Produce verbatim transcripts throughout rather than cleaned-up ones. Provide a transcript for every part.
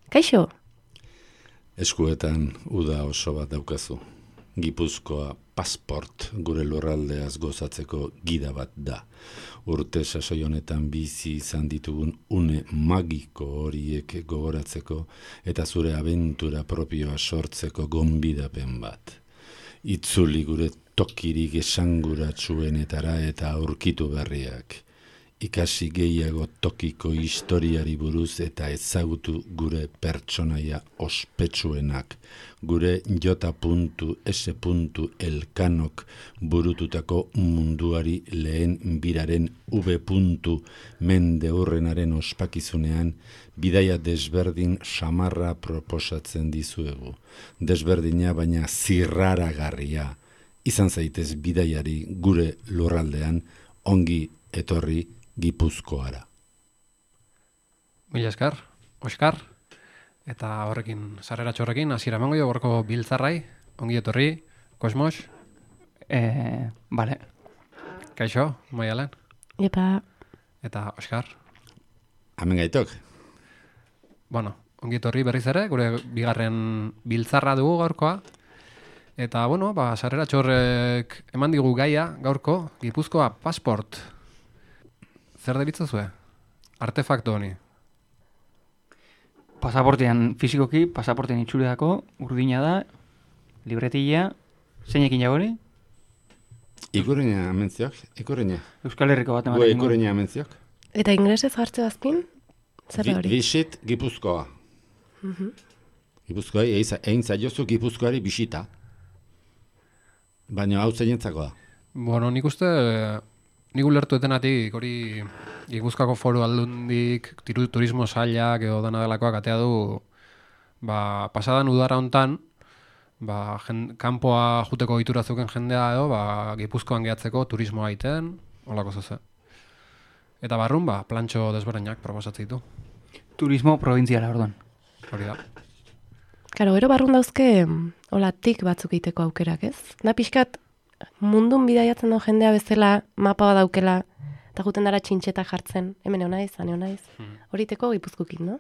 Kaixo? Eskuetan uda oso bat daukazu. Gipuzkoa pasport gure lurraldeaz gozatzeko gida bat da. Urte sasoi honetan bizi izan ditugun une magiko horiek gogoratzeko eta zure abentura propioa sortzeko gonbidapen bat. Itzuli gure tokirik esanguratsuenetara eta aurkitu berriak. Ikasi gehiago tokiko historiari buruz eta ezagutu gure pertsonaia ospetsuenak, gure J. S. Elkanok burututako munduari lehen biraren V. Mendeurrenaren ospakizunean bidaia desberdin samarra proposatzen dizuegu. Desberdina baina zirraragarria. Izan zaitez bidaiari gure lurraldean ongi etorri Gipuzkoara. Mila esker, Oskar, eta horrekin, sarreratxo horrekin, hasiera emango jo gorko biltzarrai, ongi etorri, Kosmos. Eh, vale. Kaixo, Maialen. Epa. Eta Oskar. Hemen gaitok. Bueno, ongi etorri berriz ere, gure bigarren biltzarra dugu gaurkoa. Eta, bueno, ba, sarreratxo horrek eman digu gaia gaurko, Gipuzkoa pasport. Zer deritzazue? Artefakto honi? Pasaportean fizikoki, pasaportean itxuleako, urdina da, libretilla, zeinekin jagori? Ikurriña amentziok, ikurriña. Euskal Herriko bat ematen. Gue ikurriña amentziok. Eta inglesez jartze azkin? Zer da hori? Visit Gipuzkoa. Uh-huh. Gipuzkoa, egin zaiozu Gipuzkoari bisita. Baina hau zeinentzako da. Bueno, nik uste... Nik ulertu etenatik, hori Gipuzkoako foru aldundik, turismo sailak edo dana delakoak atea du, ba, pasadan udara hontan, ba, jen, kanpoa juteko ohitura zeuken jendea edo, ba, Gipuzkoan gehatzeko turismoa egiten, holako zoze. Eta barrun, ba, plantxo desberdinak proposatzen ditu. Turismo provintziala, orduan. Hori da. Karo, gero barrun dauzke, hola, tik batzuk egiteko aukerak, ez? Da pixkat, mundun bidaiatzen duen jendea bezala mapa bat daukela eta juten dara txintxeta jartzen. Hemen eonaiz, hane eonaiz. Hmm. Horiteko Gipuzkokik, no?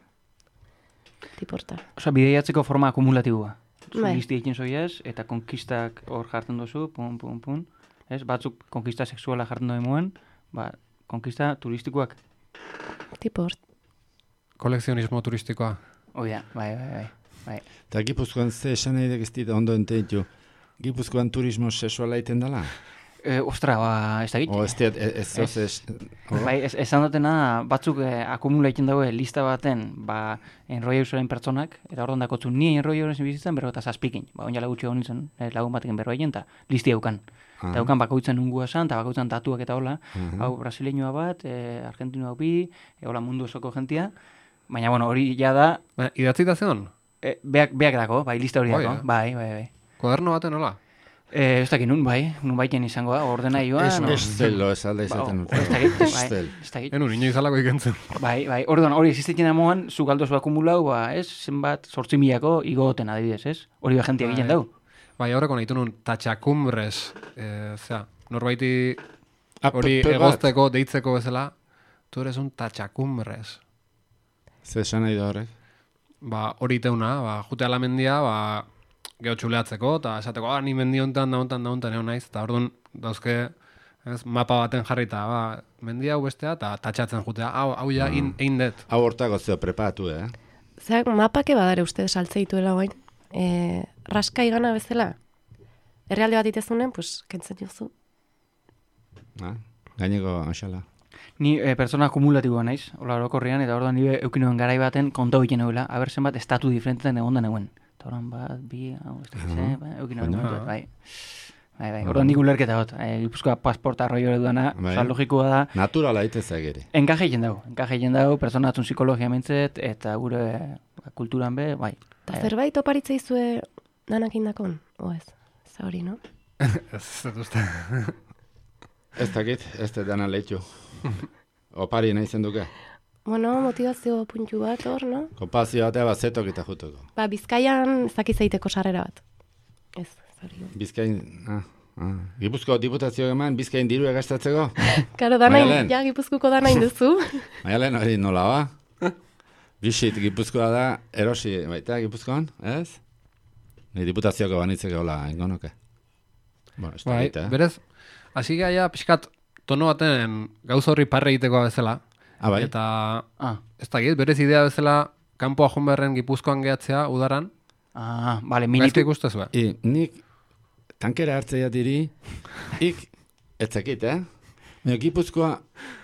Tiporta. Osa, bidaiatzeko forma akumulatiboa. Listi egin zoiez, eta konkistak hor jartzen duzu, pun, pun, pun. Ez, batzuk konkista sexuala jartzen duen muen, ba, konkista turistikoak. Tiport. Kolekzionismo turistikoa. Oida, bai, bai, bai. bai. Eta Gipuzkoan ze esan nahi dekiztit ondo enteitu. Gipuzkoan turismo sexuala iten dela? E, ostra, ba, ez da O, ez diat, ez zoz ez... Bai, esan dutena, batzuk eh, akumula egiten daue lista baten, ba, enroi eusoren pertsonak, eta orduan dakotzu ni enroi eusoren bizitzen, berro eta zazpikin. Ba, onjala gutxi honi zen, eh, lagun batekin berro egin, eta listi haukan. Eta haukan bakoitzen ungua esan, eta bakoitzen tatuak eta hola. Uh-huh. Hau, brasileñoa bat, eh, argentinoa bi, e, hola mundu osoko jentia. Baina, bueno, hori ja da... Ba, idatzi da zion? Eh, beak, beak dako, bai, lista hori dako. Bai, bai, bai. Kuaderno baten hola? Eh, ez dakit nun, bai, nun baiten izango da, ordena joan. Ez, no? Estelo, ez alde izaten. Ba, ez dakit, bai, ez dakit. Enun, ino izalako ikentzen. Bai, bai, orduan, hori existitzen damoan, zu galdozu akumulau, ba, ez, zenbat, sortzi milako igoten adibidez, ez? Hori behentia egiten dau. Bai, horreko nahitu nun, tatxakumbres, eh, zera, norbaiti hori egozteko, deitzeko bezala, tu eres un tatxakumbres. Zer esan nahi da horrek? Ba, hori teuna, ba, jute ala mendia, ba, geho txuleatzeko, eta esateko, ah, ni mendi hontan, da hontan, da hontan, egon naiz, eta orduan dauzke, ez, mapa baten jarrita, ba, mendia hau bestea, eta tatxatzen jutea, hau, hau ja, mm. in det. Hau hortako zeo prepatu, eh? Zer, mapake badare uste saltzeituela guain, e, raska igana bezala, herrialde bat itezunen, pues, kentzen jozu. Ah, gaineko, aixala. Ni e, pertsona akumulatiboa naiz, hola orokorrean, eta orduan nire eukinoen garai baten kontau egiten eguela, aber zenbat estatu diferentetan egon da neuen. Eta orduan bat, bi, hau, ez da, uh-huh. ba, eukinoen momentu, bai. Bai, bai, orduan nik ulerketa hot, e, Gipuzkoa pasporta arroio edudana, bai. Osa, logikoa da. Naturala itezak ere. Enkaje egin dago, enkaje egin dago, pertsona batzun psikologia mentzet, eta gure ba, kulturan be, bai. Eta zerbait oparitzea izue danak indakon, o ez? Ez hori, no? Ez, ez uste. Ez dakit, ez da dana lehitu. Opari nahi zenduke. Bueno, motivazio puntu bat hor, no? Kompazio batea bat zetok eta juteko. Ba, Bizkaian ez dakiz egiteko sarrera bat. Ez, zori. Bizkain, ah, ah. Gipuzko diputazio eman, Bizkain diru egastatzeko? Karo, danain, Maialen. ja, Gipuzkuko danain duzu. Maialen hori nola ba? Bisit Gipuzkoa da, erosi, baita Gipuzkoan, ez? Ni diputazioko banitzeko hola, ingonoke. Bueno, ez Bai, dakit, eh? berez, hasi gaia pixkat tono baten gauza horri parre egitekoa bezala. Ah, bai? Eta Ah, ez dakit, berez idea bezala kanpoa joan beharren Gipuzkoan gehatzea udaran. ah, bale, Gaizki minitu. ikustezue. I, nik tankera hartzea diri, ik, etzakit, eh? Baina Gipuzkoa,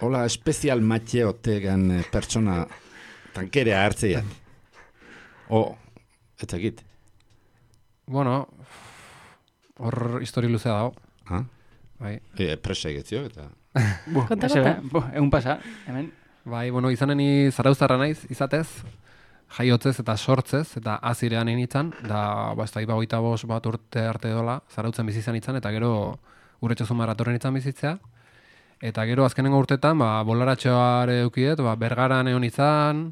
hola, espezial matxe otegan eh, pertsona tankera hartzea. O, etzakit. Bueno, hor histori luzea dago. Ha? Bai. E, presa egitzio, eta... Bu, Konta, eze, konta. bu, egun pasa, hemen. Bai, bueno, izaneni zarauztarra naiz, izatez, jaiotzez eta sortzez, eta azirean initzan, da, ba, ez da, iba hogeita bost bat urte arte dola, zarautzen bizi izan itzan, eta gero urretxozu maratorren itzan bizitzea. Eta gero azkenengo urtetan, ba, bolaratxoare eukidet, ba, Bergaran egon izan,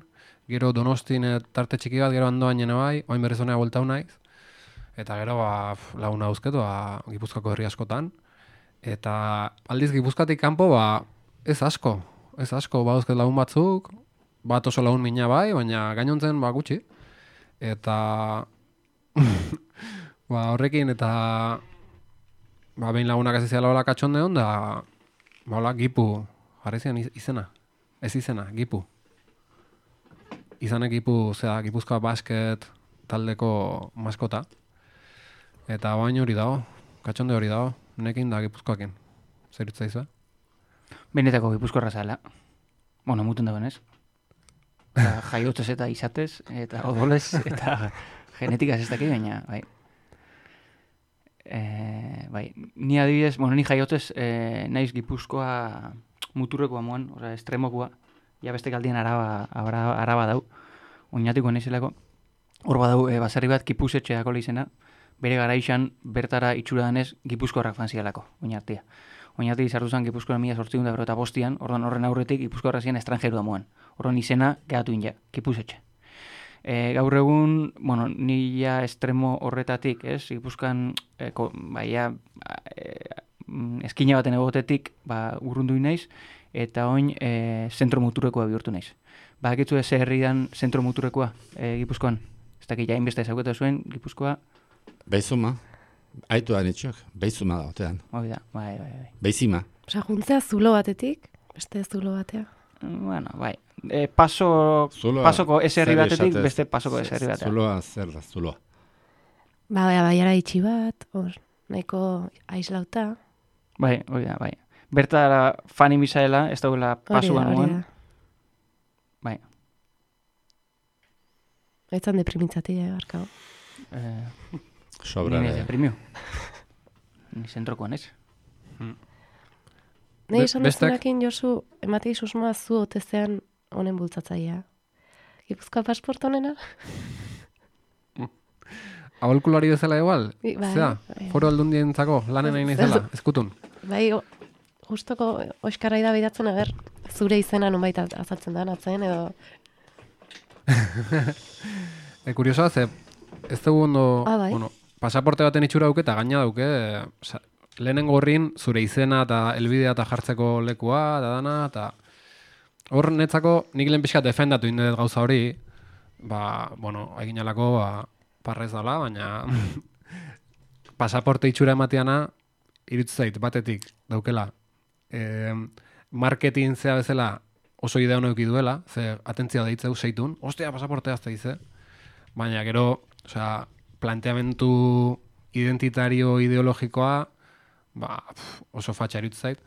gero Donostin eh, tarte txiki bat, gero Andoain jene bai, oain berriz honea bueltau naiz. Eta gero, ba, pf, laguna dauzket, ba, Gipuzkoako herri askotan. Eta aldiz Gipuzkoatik kanpo, ba, ez asko, ez asko, ba, dauzket lagun batzuk, bat oso lagun mina bai, baina gainontzen, ba, gutxi. Eta, ba, horrekin, eta, ba, behin lagunak ez izela hola katxonde hon, da, ba, hola, Gipu, jarri zian iz- izena, ez izena, Gipu. Izanek Gipu, zera, Gipuzkoa basket taldeko maskota. Eta bain hori dago, katxonde hori dago, nekin da Gipuzkoakin. Zer itzaizu, eh? Benetako Gipuzkoarra zala. Bueno, mutun dagoen ez. Eta jaiotzez eta izatez, eta odolez, eta genetikaz ez dakit, baina, bai. E, bai, ni adibidez, bueno, ni jaiotzez e, naiz Gipuzkoa muturrekoa moan, oza, estremokua, ja beste kaldien araba, araba, araba dau, oinatiko naizelako. Hor badau, e, baserri bat Gipusetxeako izena, bere garaixan bertara itxura danez Gipuzkoarrak fanzialako, oinartia. Oinarti izartu zen Gipuzkoa mila sortziehun eta berrogeita bostian, orduan horren aurretik Gipuzkoarra ziren estrangerua moan. Orduan izena gehatu inja, Gipusetxe. E, gaur egun, bueno, ni ja estremo horretatik, ez? Gipuzkoan, e, ko, baia, e, eskina baten egotetik, ba, urrundu naiz, eta oin e, zentro muturrekoa bihurtu naiz. Badakitzu ez herrian zentro muturrekoa e, Gipuzkoan? Ez dakit, jain beste ezagutu zuen, Gipuzkoa, Beizuma, aitu da nitxok, beizuma da, otean. hori da, bai, bai, bai. Beizima. Osa, juntzea zulo batetik, beste zulo batea. Bueno, bai. E, paso, Zuloa, pasoko ez herri zer batetik, esatez? beste pasoko ez herri batetik. Zuloa, zer da, zuloa. Ba, bai, baiara itxi bat, hor, nahiko aislauta. Bai, hori da, bai. Bertara fani misaela, ez dagoela Hori pasuan da, hori moan. da. Bai. Etzan deprimintzati, eh, barkau. Eh, Sobra. ni de- deprimio. Ni zentrokoan ez. Nei Be- esan bestek? duzunakin, Josu, ematei susmoa zu otezean honen bultzatzaia. Gipuzkoa pasport honena? Aholkulari bezala igual? Bai, Zea, bai. foro aldundientzako lanen nahi naizela, ezkutun. Bai, o- justoko oiskarrai da bidatzen, aber, zure izena nunbait azaltzen da, atzen, edo... E, kuriosoa, ze, ez dugu ondo, Ah, bai. bueno, pasaporte baten itxura dauke eta gaina dauke, e, sa, lehenengo horrin zure izena eta helbidea eta jartzeko lekua, eta dana, eta hor netzako nik lehen pixkat defendatu indet gauza hori, ba, bueno, egin alako, ba, parrez dala, baina pasaporte itxura emateana, iritzu zait, batetik daukela, e, marketing zea bezala oso idea honek duela, ze atentzia deitzeu seitun, ostia, pasaportea azte dize, baina gero, osea, planteamentu identitario ideologikoa, ba, pf, oso fatxa iritzu zait.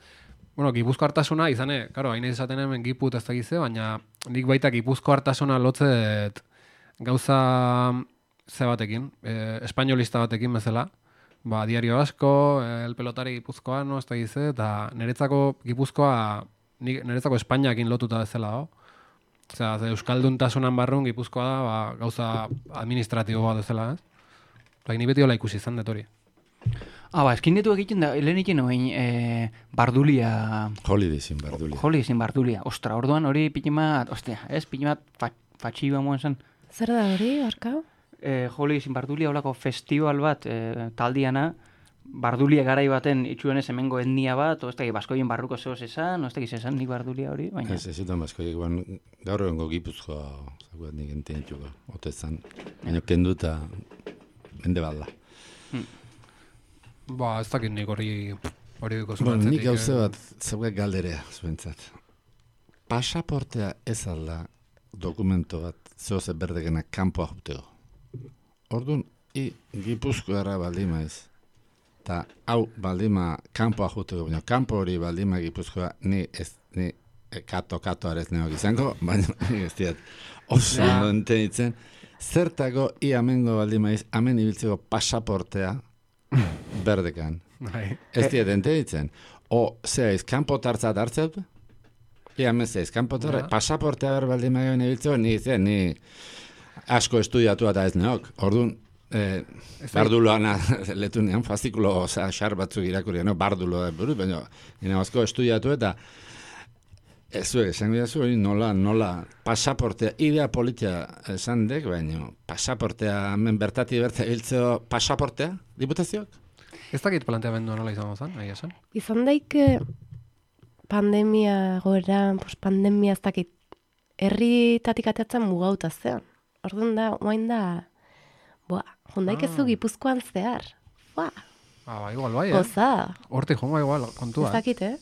Bueno, Gipuzko hartasuna, izane, karo, hain izaten hemen Giput ez dakize, baina nik baita Gipuzko hartasuna lotzet gauza ze batekin, e, espainolista batekin bezala, ba, diario asko, el pelotari gipuzkoano, ez dakize, eta niretzako Gipuzkoa, nik- niretzako Espainiakin lotuta bezala dago. Osea, ze Euskalduntasunan barrun Gipuzkoa da, ba, gauza administratibo bat bezala, ez? Bai, ni beti hola ikusi izan dut hori. Ah, ba, eskinetu egiten da, lehen egiten noen, e, bardulia... Holidaysin bardulia. Holidaysin bardulia. Ostra, orduan hori pitimat, ostia, ez, pitimat fatxi bamoen zen. Zer da hori, barkau? E, Holidaysin bardulia holako festival bat, e, taldiana, bardulia garai baten itxuenez hemengo etnia bat, o ez dakit, baskoien barruko zehoz esan, o ez dakit esan nik bardulia hori, baina... Ez, ez zutan baskoiek, ban, gaur egongo Gipuzkoa, zaguat nik enten dituko, otezan, baina kendu eta mende balda. Ba, ez dakit nik hori hori duko Bueno, zuratzetik. nik gauze bat, zeuek galderea, zuentzat. Pasaportea ez alda dokumento bat, zehoz eberdekena kanpoa jutego. Orduan, i Gipuzkoara baldima ez. Ta hau baldima kanpoa jutego, baina kanpo hori baldima Gipuzkoa, ni ez, ni kato-kato arez neok izango, baina ni ez diat oso Ja. ondo entenitzen. Zertako i amengo baldima ez, amen ibiltzeko pasaportea berdekan. Bai. Ez diat entenitzen. O, zera iz, kanpo tartzat hartzeu? Ia mezeiz, kanpo tartzat, Ja. pasaportea ber baldima egin ibiltzeko, ni zen, ni asko estudiatu eta ez neok. Orduan, eh, barduloan letunean, fascikulo, oza, xar batzuk irakurri, no, bardulo da buruz, baina nina asko estudiatu eta ez zuek, esango jazu, hori nola, nola, pasaportea, idea politia esan dek, baina pasaportea, hemen bertati berta hiltzeo, pasaportea, diputazioak? Ez dakit planteamendua nola izango zen, nahi esan. Izan daike pandemia goera, pues pandemia ez dakit, herritatik ateatzen mugauta zean. Orduan da, oain da, boa, jondaik ez Ah. zu Gipuzkoan zehar. Boa, Ah, ba, igual bai, eh? goza, Hortik jongo igual, ez kontua. dakit, eh?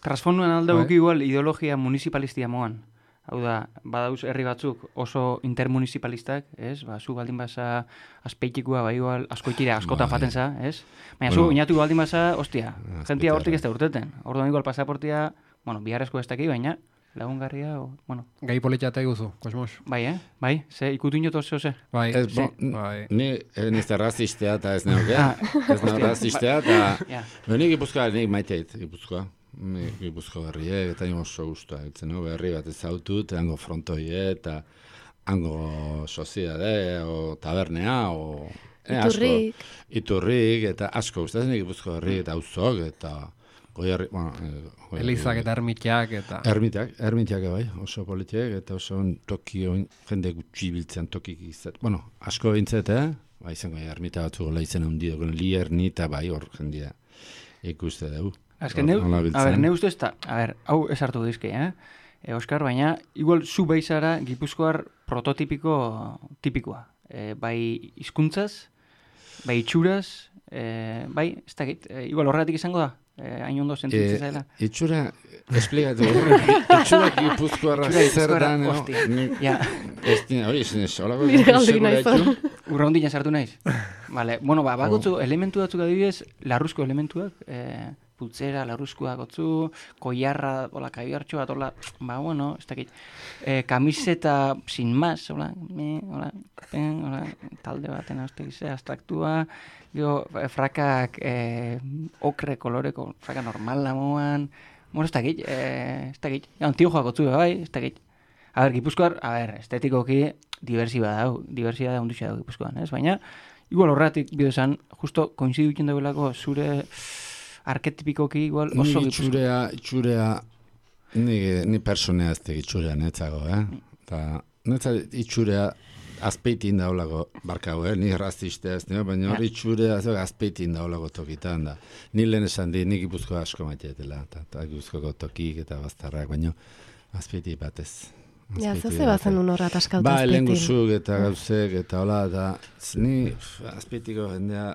Transfonduan alde Bai. guki igual ideologia municipalistia moan. Hau da, badauz herri batzuk oso intermunicipalistak, ez? Ba, zu baldin basa azpeitikua, bai igual askoitira, askotan Bai. faten za, ez? Baina Bueno. zu oinatu baldin basa, ostia, Azpeitia, jentia hortik bai. ez da urteten. Orduan igual pasaportia, bueno, biharrezko ez daki, baina lagungarria, o, bueno, Gai politia guzu, kosmos. bai, eh? Bai, ze ikutu inotu zeo ze. Bai, Ez, bo, bai. ni ez nizte razistea eta ez neoke, Ah, ez neoke razistea eta Ja. nik Gipuzkoa, nik maiteit Gipuzkoa. Nik Gipuzko herriek eta nio oso guztua, etzen no, berri bat ezautut, hango frontoie eta hango soziade, o tabernea, o... eh, asko. Iturrik. Iturrik, eta asko gustatzen nik Gipuzko herri eta auzok, eta goiarri, bueno... eh, Goierri- Elizak eta ermitiak eta... Ermitiak, ermitiak bai, oso politiek, eta oso on toki oin, jende gutxi biltzen tokik izat. Bueno, asko bintzet, eh? Ba, izango ja, ermita batzuk gola izan handi doken, liernita bai, hor jendia ikuste dugu. Azken, neu, Hola a biltzen. ber, neu ustez, ta, a ber, hau esartu dizke, eh? E, Oskar, baina, igual zu beizara Gipuzkoar prototipiko tipikoa. E, bai hizkuntzaz, bai itxuraz, e, bai, ez dakit, e, igual horregatik izango da, e, hain ondo sentitzen Eh, zaila. itxura, esplikatu, itxura Gipuzkoarra Itxura zer Gipuzkoarra, da, no? hostia. Ni- Ja, Ez dina, hori, ez nez, holako Nire galderik segura nahi itxu. urraundina sartu naiz. Vale, bueno, ba, bakotzu elementu batzuk adibidez, larruzko elementuak, e, putzera, larruzkoa gotzu, koiarra, hola, kaiartxo bat, hola, ba, bueno, ez dakit, e, kamiseta sin más, hola, me, hola, pen, hola, talde baten hauste gize, abstraktua, gero, e, frakak e, okre koloreko, fraka normala moan, bueno, ez dakit, e, ez dakit, antiojoak gotzu, bai, ez dakit. A ber, Gipuzkoar, a ber, estetikoki diversiba dau, diversiba da ondutxa dau Gipuzkoan, ez? Baina, igual horretik bide esan, justo koinzidu ikin dagoelako zure arketipikoki igual oso Ni Gipuzkoa. itxurea, itxurea, ni, ni personea ez itxurea netzago, eh? Ta, netza itxurea azpeitin daulako barkago, eh? Ni razistea ez, ne? Baina hori itxurea ez azpeitin daulako tokitan da. Ni lehen esan di, nik Gipuzkoa asko maitetela, eta ta, Gipuzkoako tokik eta baztarrak, baina azpeiti batez. Ja, Azpeiti ze batez. bazen un horrat askauta Ba, azpeitin. lengusuk eta gauzek eta hola, eta z- ni pf, azpeitiko jendea,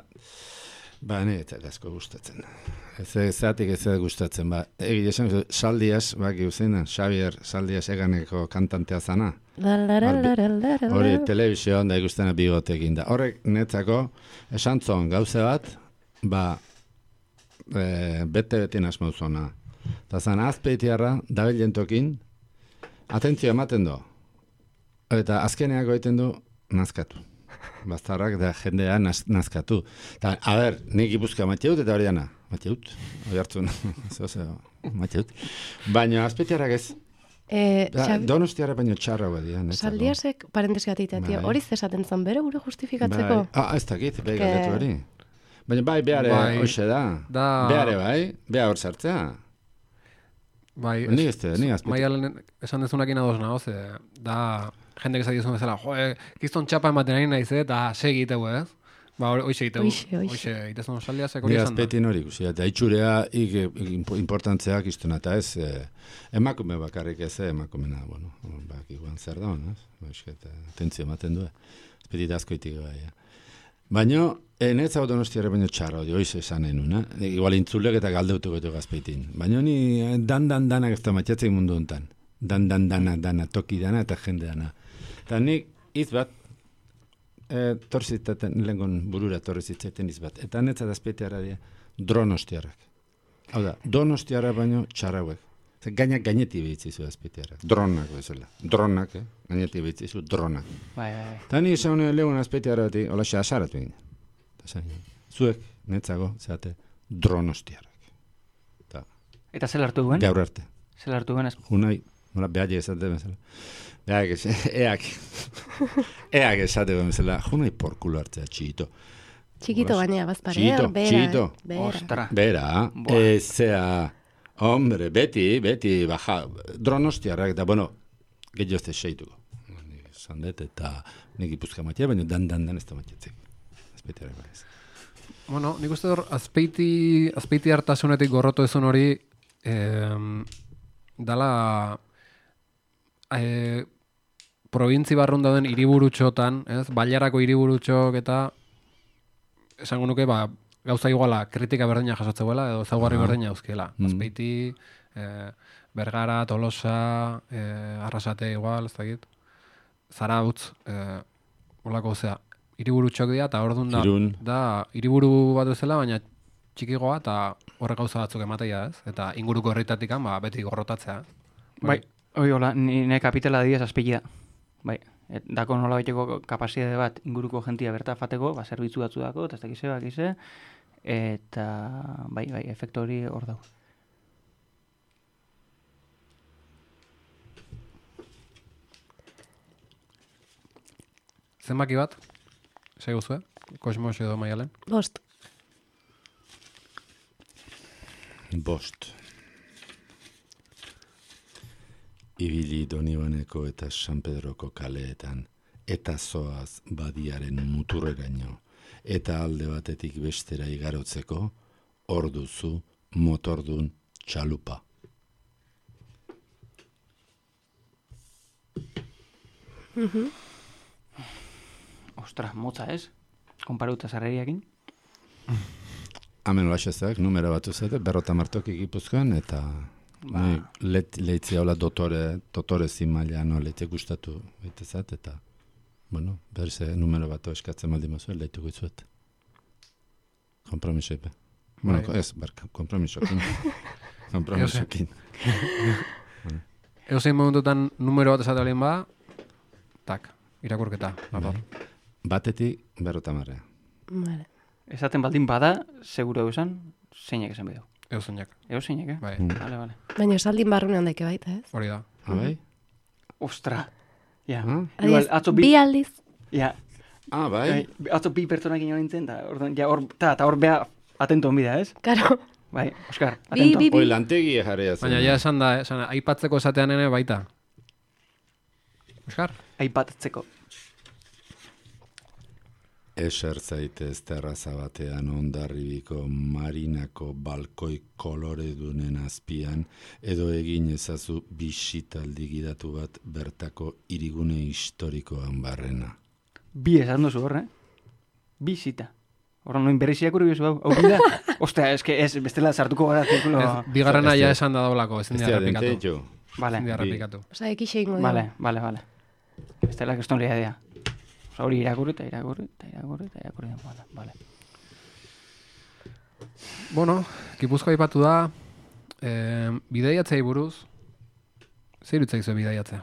ba, ne, eta asko gustatzen. Ez ezatik ez ez gustatzen, ba, egi esan, Saldias, baki uzeina, Xavier Saldias eganeko kantantea zana. La, la, la, la, la, la, la, Hori, la. telebizioan da ikustena bigotekin da. Horrek netzako, esan zon gauze bat, ba, e, bete-betin asmauzona. Eta zan, azpeitiarra, dabilen tokin, atentzio ematen do. Eta azkeneako egiten du, nazkatu. Bastarrak da jendea naz, nazkatu. Ta, a ber, nik Gipuzkoa mateut eta hori dana. Mateut, hori hartzun. Zeo, zeo, mateut. Baina azpeitiarrak ez. Eh, Da, Xabi- Donostiarra baino txarra badia. netzako. Saldiasek, parentesi bat itea, Bai. hori zesaten zen bere gure justifikatzeko. Bai. Ah, ez dakit, bai Que- galdetu hori. Baina bai, behare, Bai. hoxe da. Da- Behare bai, beha hor sartzea. Bai, Ni ez ni azpetik. Maialen esan dezunakin ados nago, ze da jendek esan dizun bezala, jo, eh, kiston txapa ematen ari naiz, eta se egiteu, ez? Ba, hoxe egiteu. Hoxe, hoxe. Hoxe, itezun osaldia, zek Ni hori esan da. azpetin hori ikusi, eta itxurea ik, ik, importantzeak iztuna, eta ez, eh, emakume bakarrik ez, eh, emakumena, bueno, bak, igual zer da, ez? Baixket, atentzio ematen du, azpetit askoitik bai, eh. Baina, enetza hau donostiara baino txarra, hori hoiz esan enun, eh? Igual intzulek eta galdeutuko eto gazpeitin. Baina ni eh, dan dan danak ez da matxatzei mundu hontan. Dan dan dana, dana, toki dana eta jende dana. Eta nik hitz bat, e, torzitaten, lehengon burura torri zitzaiten hitz bat. Eta netza dazpeiteara dira, dronostiarrak. Hau da, donostiara baino txarrauek. Gainak gaineti behitzizu azpeitearak. Dronak bezala. Dronak, eh? Gaineti behitzizu, dronak. Bai, bai, bai. Eta ni esan lehun azpeiteara bati, hola xa asaratu egin. Zuek, netzago, zeate, dronostiarrak. Ta, Eta zel hartu duen? gaur arte. Zel hartu duen? ez- Unai, nola behaiek esate bezala. Behaiek esate, eak, eak esate bezala, junai porkulo hartzea, txito. Txikito gainea, bazpare. Txito, bera, txito. eh, bera. Ostra. Bera, Buah. ezea, hombre, beti, beti, baja, dronostiarrak, da, bueno, gehiago ez seituko. Nik esan dut, eta nik ipuzka matia, baina dan, dan, dan ez da matiatzek. Azpeitearak bai ez. Bueno, nik uste hor, azpeiti, azpeiti hartasunetik gorrotu ezun hori, eh, dala eh, probintzi barrun dauden hiriburutxotan, ez? Bailarako hiriburutxok eta esango nuke, ba, gauza iguala kritika berdina jasotzeuela edo ezaugarri berdina euzkiela. Mm. Azpeiti, eh, Bergara, Tolosa, eh, Arrasate igual, ez dakit. Zarautz, eh, olako, osea, hiriburutxok dira, eta orduan da, Irun. da hiriburu bat bezala, baina txikigoa eta horrek gauza batzuk emateia, ez? Eta inguruko herritatikan, ba, beti gorrotatzea. Bai, hoi hola, nire kapitala diez azpegia. Bai, et, dako nola baiteko kapazitate bat inguruko jentia berta fateko, ba, zerbitzu batzu dako, eta ez dakize, bakize, eta bai, bai, efektu hori hor dago. Zenbaki bat, segu zuen, Kosmos edo Maialen. Bost. Bost. Ibili Donibaneko eta San Pedroko kaleetan, eta zoaz badiaren muturreraino, eta alde batetik bestera igarotzeko, hor duzu motordun txalupa. Ostra, motza ez? Konparuta zarreriakin. Hemen laxezak, numero bat uzete, berrota martokik Gipuzkoan, eta Ba. ni let, leitzia hola dotore, dotore zimaila, no, leitzia gustatu baitezat, eta, bueno, berze numero bat eskatzen maldi mazuen, leituko itzuet. Kompromisoepe. Bueno, Bai. ez, barka, kompromisokin. kompromisokin. Eozein momentutan numero bat esate balien ba, tak, irakurketa. Dator. Batetik berrota marrea. Vale. Esaten baldin bada, seguro eusan, zeinek esan bedo. Eozeinak, Ego zeinek, eh? bai, Vale, vale. Baina esaldin barrunean daike baita, ez? hori da. Abai? Ostra. Ja. Ah? Igual, Adibidez, atzo bi bi... aldiz. Ja, Ah, bai? bai, atzo bi pertsonak ino nintzen, eta orduan, ja, hor, ta, ta hor beha atento onbida, ez? Karo. Bai, Oskar, Bi, atento. bi, bi. Hoi lantegi jarria zen. Baina ja esan da, esan, aipatzeko esatean ere baita. Oskar? Aipatzeko. Eser zaitez terraza batean ondarribiko marinako balkoi koloredunen azpian, edo egin ezazu bisitaldi gidatu bat bertako hirigune historikoan barrena. Bi esan duzu hor, eh? Bi zita. Horra, noin berriziak uri bezu hau, hau bida? Ostra, eske ez, bestela sartuko gara zirkulo... Ez, bigarrena Ez ja dira- esan da daulako, ezin Ez dira dira repikatu. denteitxo. Vale, Ezin dira bi. repikatu. Osa, ekixe ingo dugu. vale, vale, vale. Bestela keston lehia dea. Osa, hori irakurri eta irakurri eta irakurri eta irakurri. Vale, vale. Bueno, Gipuzkoa aipatu da, eh, bidaiatzei buruz, zer irutzaizu bidaiatzea?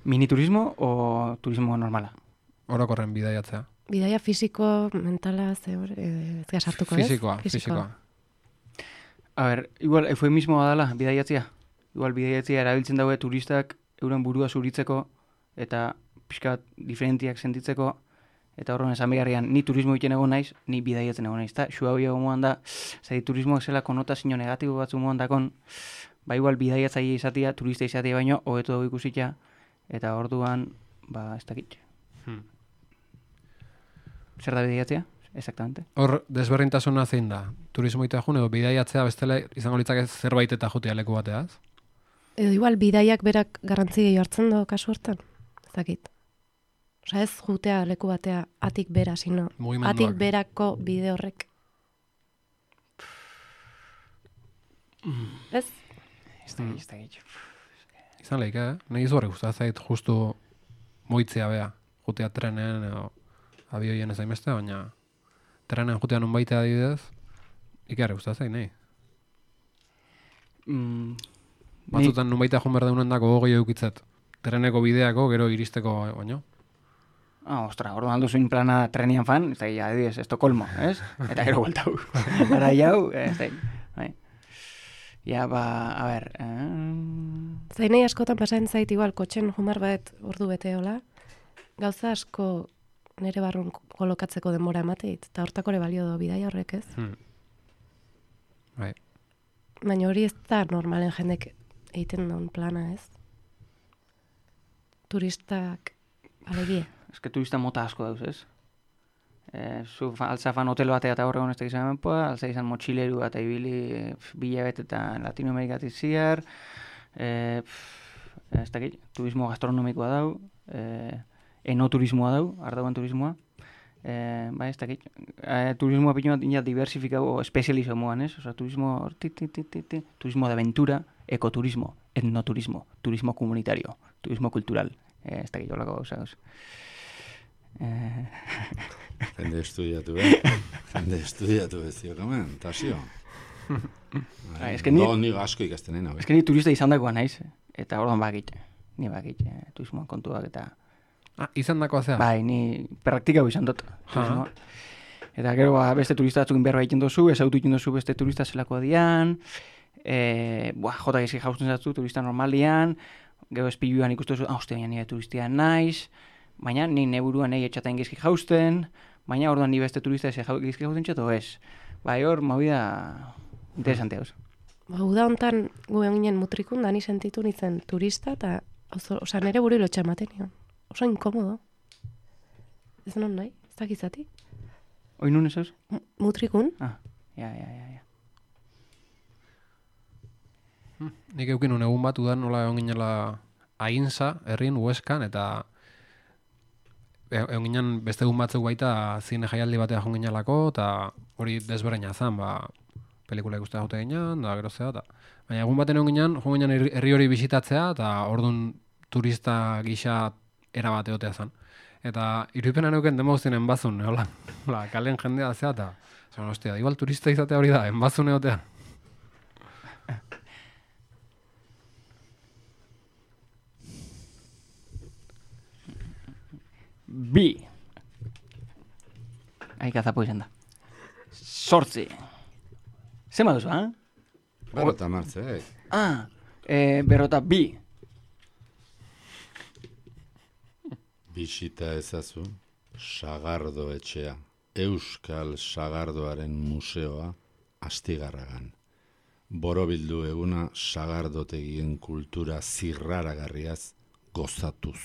Miniturismo o turismo normala? Orokorren bidaiatzea. Bidaia fisiko, mentala, ze hor, eh, ez gara sartuko, ez? Fisikoa, fisikoa. A ber, igual, eufemismoa dela, bidaiatzia. Igual, bidaiatzia erabiltzen daue turistak euren burua zuritzeko eta pixka bat diferentiak sentitzeko Eta horren esan bigarrian, ni turismo egiten egon naiz, ni bidaiatzen egon naiz. Eta xua hori egon moan da, zai turismoak zela konotazio negatibo batzu moan dakon, ba igual bidaiatzaile izatea, turista izatea baino, hobeto dugu ikusita, eta orduan, ba, ez dakit. Hmm. Zer da bidaiatzea? Exactamente. Hor, desberdintasuna zein da? Turismo itea jun, edo bidaiatzea bestela izango litzake zerbait eta jotea leku bateaz? Edo igual bidaiak berak garrantzi gehiago hartzen do kasu hortan. Ez dakit. Osa ez jutea leku batea atik bera, sino Mugimenduak. atik berako bide horrek. Ez? Ez dakit, ez dakit. Izan lehik, eh? Nahi izu horrek gustatzen zait justu moitzea bea. Jutea trenen edo abioien ez daimeste, baina trenen jutea nun baitea adibidez, ikarri gustatzen zait, nahi. Mm, Batzutan nun baitea jun behar deunen dako gogoi eukitzet. Treneko bideako, gero iristeko baino. Ah, ostra, orduan alduzuin plana trenian fan, ez da, ja, adibidez, Estocolmo, ez? Eta gero bueltau. Ara jau, ez da, bai. Ja, ba, a ber... Eh... Zainei askotan pasatzen zait igual kotxen jumar bat ordu bete hola, gauza asko nere barrun kolokatzeko denbora emateit, eta hortako ere balio do bidaia horrek, ez? Hmm. Bai. Baina hori ez da normalen jendek egiten duen plana, ez? Turistak alegia. Ez que turista mota asko dauz, ez? E, zu fa, altza fan hotel batea eta horregon ez da izan menpoa, altza izan motxileru eta ibili bila betetan Latinoamerikatik ziar, e, pff, ez dakit, turismo gastronomikoa dau, e, enoturismoa dau, ardauen turismoa, e, ba ez dakit, e, turismoa pitu bat ina diversifikau, espezializo moan, ez? Osa, turismo, ti, ti, ti, ti, ti, turismo de aventura, ekoturismo, etnoturismo, turismo comunitario, turismo cultural, e, ez dakit, holako gauza gauz. Eh... Jende estudiatu, eh? Jende estudiatu ez dio, kamen, tasio. Ba, eske ni... No, ni asko ikasten nahi, Ez que ni turista izan dagoa naiz, eta orduan bakit, ni bakit, eh, turismoan kontuak eta... Ah, izan dakoa zea? Bai, ni praktikau izan dut, turismoa. Eta gero ba, beste turista batzukin berba egiten dozu, ezautu egiten dozu beste turista zelako dian, e, buah, jota gezki jausten zatzu turista normalian, gero espiluan ikustu duzu, ah, uste, baina nire turistia naiz, baina ni neburuan nahi etxatain gezki jausten, baina orduan ni beste turista ez gezki jausten txato ez. Bai, hor, movida interesante hauz. Ba, uda hontan guen ginen mutrikun, da ni sentitu nintzen turista, eta oso, osa, nere buru ilotxa ematen nion. Oso inkomodo. Ez non nahi, ez dakizati. Hoi nun ez hauz? Mutrikun? Ah, ja, ja, ja, ja. Hmm. Nik eukin un egun bat udan nola egon ginela Ainsa, herrin, Hueskan, eta egon ginen beste egun batzuk baita zine jaialdi batea joan ginelako, eta hori desberdina zan, ba, pelikula ikustea jote ginen, da gero zea, eta... Baina egun baten egon ginen, joan ginen herri herri hori bisitatzea, eta orduan turista gisa erabate otea zan. Eta irudipena neuken dema guztien enbazun, hola, hola, kalen jendea zea, eta zan, ostia, igual turista izatea hori da, enbazun egotea. Bi. Aika zapo izan da. Sortzi. Zema duzu, ha? Berrota martze, eh? Ah, e, berrota bi. Bisita ezazu, Sagardo etxea, Euskal Sagardoaren museoa, Astigarragan. Borobildu eguna sagardotegien kultura zirraragarriaz gozatuz.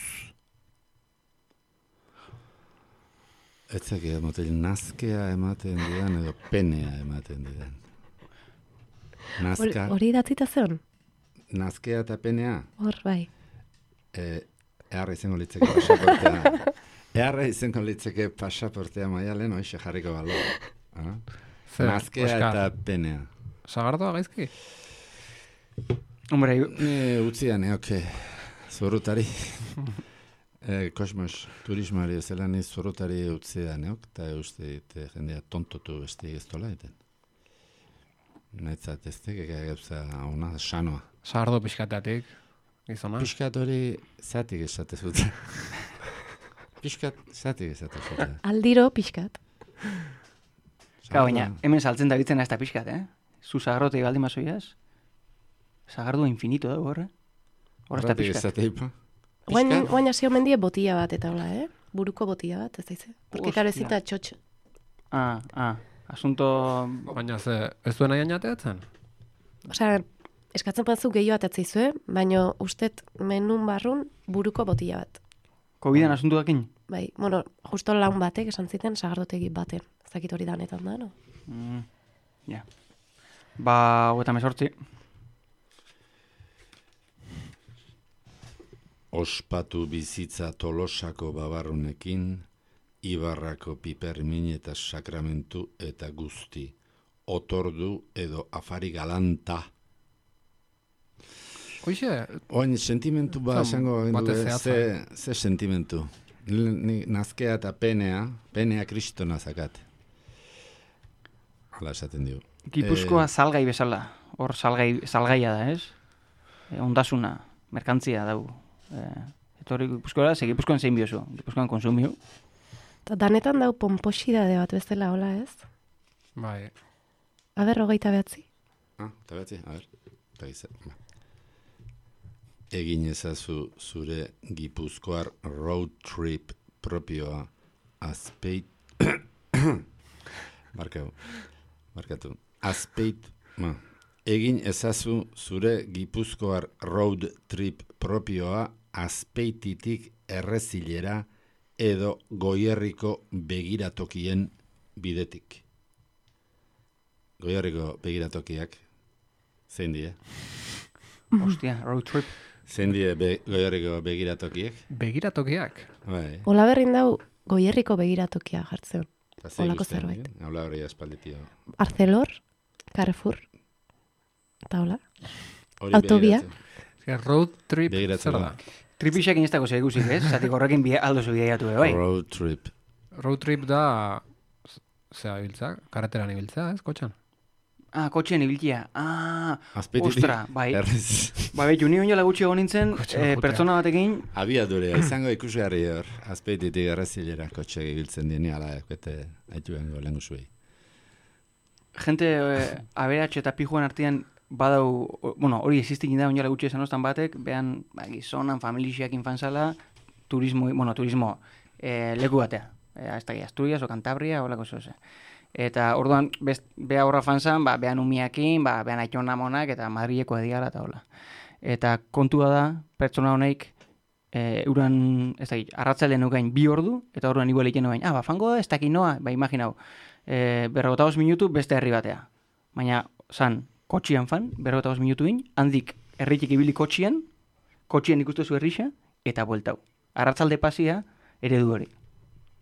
Etzak ematen, nazkea ematen didan edo penea ematen didan. Nazka, Hori datzita zeon? nazkea eta penea, Hor, bai. e, eharra izango litzeke pasaportea. Eharra izango litzeke pasaportea maialen, hoxe jarriko balo. Ah? Zer, Nazkea Oskar? eta penea. Sagardoa gaizki? Hombre, Ne, utzia neoke, zorrutari. e, kosmos, turismoari ezela niz zorrutari utzia neok, eta uste ite jendea tontotu beste ez tola eten. Netzat ez tekeka gauza ona, sanoa. Sagardo pixkateatik, gizona? Piskat hori zatik esate zuten. Piskat zatik esate zuten. Aldiro pixkat. Ka, baina, hemen saltzen da bitzen ez da pixkat, eh? Zu zagarrotei baldin mazoiaz? Zagardua infinito da, horre? Horre ez da Horretik pixkat. esate ipa. Guain, guain hasio mendie botila bat eta hola, eh? buruko botila bat, ez daize? Porque karo ezin da txotx. Ah, ah, asunto... Baina ze, ez duen nahi ainateatzen? Osea, eskatzen batzu gehiago atatzeizue, baina ustet menun barrun buruko botila bat. Covidan asuntu dakin? Bai, bueno, justo laun batek esan ziten sagardotegi baten. Ez dakit hori danetan da, no? Mm, ja. Ba, hogeita hemezortzi. Ospatu bizitza Tolosako babarrunekin, Ibarrako pipermin eta sakramentu eta guzti. Otordu edo afari galanta. Hoixe, Oin, sentimentu ba, Zan, esango, bate ze, zehatza. ze sentimentu. Ni nazkea eta penea, penea kristona zakat. Hala esaten dio. Gipuzkoa Eh, salgai bezala. Hor salgai, salgaia da, ez? E, ondasuna, merkantzia dau. E, etorri Gipuzkoara, ze Gipuzkoan zein biozu. Gipuzkoan konsumio. Ta danetan dau pomposidade bat bezala, hola ez? bai, Aber, hogeita behatzi. Ah, eta behatzi, a ber. Eta giza, ba. Egin ezazu zure gipuzkoar road trip propioa azpeit... Barkau, barkatu. Azpeit... Ma. Egin ezazu zure gipuzkoar road trip propioa azpeititik errezilera edo Goierriko begiratokien bidetik. Goierriko begiratokiak, zein die? Ostia, road trip. Zein die be, Goierriko begiratokiek? begiratokiak. Bai. Ola berrin dau Goierriko begiratokia jartzen. Eta ze Holako ikusten, zerbait. eh? Habla hori espalditio. Arcelor, Carrefour, eta hola. Hori Autobia. begiratu. Eske road trip Begiratzen zer da. da? Tripixak inestako zer ikusik, ez? Zatik horrekin bia, aldo zu bidaiatu, bai. Road trip. Road trip da, zea ibiltza, karreteran ibiltza, ez, kotxan? Ah, kotxean ibiltia. Ah, Azpeititik. ostra, bai. Errez. Ba, behitu, ni oin jola gutxi egon nintzen, Kotxean eh, joatea. pertsona batekin, Abiadurea, izango ikusgarri hor. Azpeititik errezilera kotxe ibiltzen dieni, ala, ekete, haitu bengo lengu zuei. jente eh, aberatxe eta pijuan artean badau, o- bueno, hori existik da oin jola gutxi esan ostan batek, behan, ba, gizonan, familixiak infanzala, turismo, bueno, turismo eh, leku batea. Eh, ez da, Asturias o Cantabria, holako zoze. Eta orduan, best, beha horra fanzan, ba, behan umiakin, ba, behan aiton amonak, eta Madrileko ediala eta hola. Eta kontua da, pertsona honeik, e, uran, ez dakit, arratzalde nukain bi ordu, eta orduan igual egiten nukain, ah, ba, fango da, ez dakit noa, ba, imaginau, e, berrogota bost minutu beste herri batea. Baina, zan, kotxian fan, berrogota bost minutuin, handik herritik ibili kotxian, kotxian ikustu zu herrixa, eta bueltau. Arratzalde pasia, eredu hori.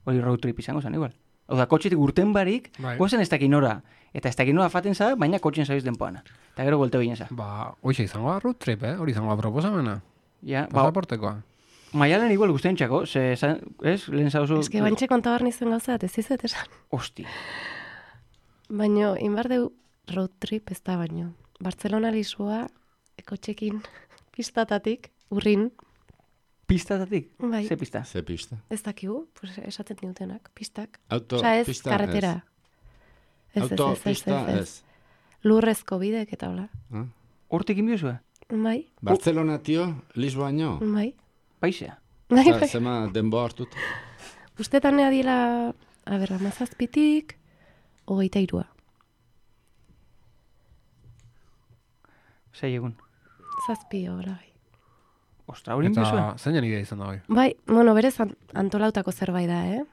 Hori road trip izango zen, igual. Hau da, kotxetik urten barik, Bai. gozen ez dakit nora, eta ez dakit nora faten za, baina kotxien zabiz denpoana. Eta gero bueltau ginen za. Ba, hoxe izango da road trip, eh? Hori izango da proposamena. Ja, ba, Pasaportekoa. maialen igual guztien txako, ze, zan- ez, lehen zauzu... Ez que bantxe kontabar nizen gauza bat, ez izet esan. Hosti. Baina, inbar deu road trip ez da baino. Bartzelona Lisboa, ekotxekin pistatatik, urrin, Pistatatik? bai, Ze pista? Ze pista? ez dakigu, pues esaten diutenak, pistak. Auto, Osea, ez, pista, karretera. Ez, ez, Auto, ez, ez, pista, ez, ez. ez. Lurrezko bidek eta hola. Ah? Hortik inbiozua? Bai, Barcelona, tio, Lisboaino. bai. Paisea? Bai, Eta bai. zema denbo hartut. Ustetan adiela, a ber, amazazpitik, hogeita irua. Zei egun. Zazpi, hola, bai. Ostra, hori inbiozua? Eta zeinen idea izan da hori. Bai, bueno, berez an- antolautako zerbait da, eh?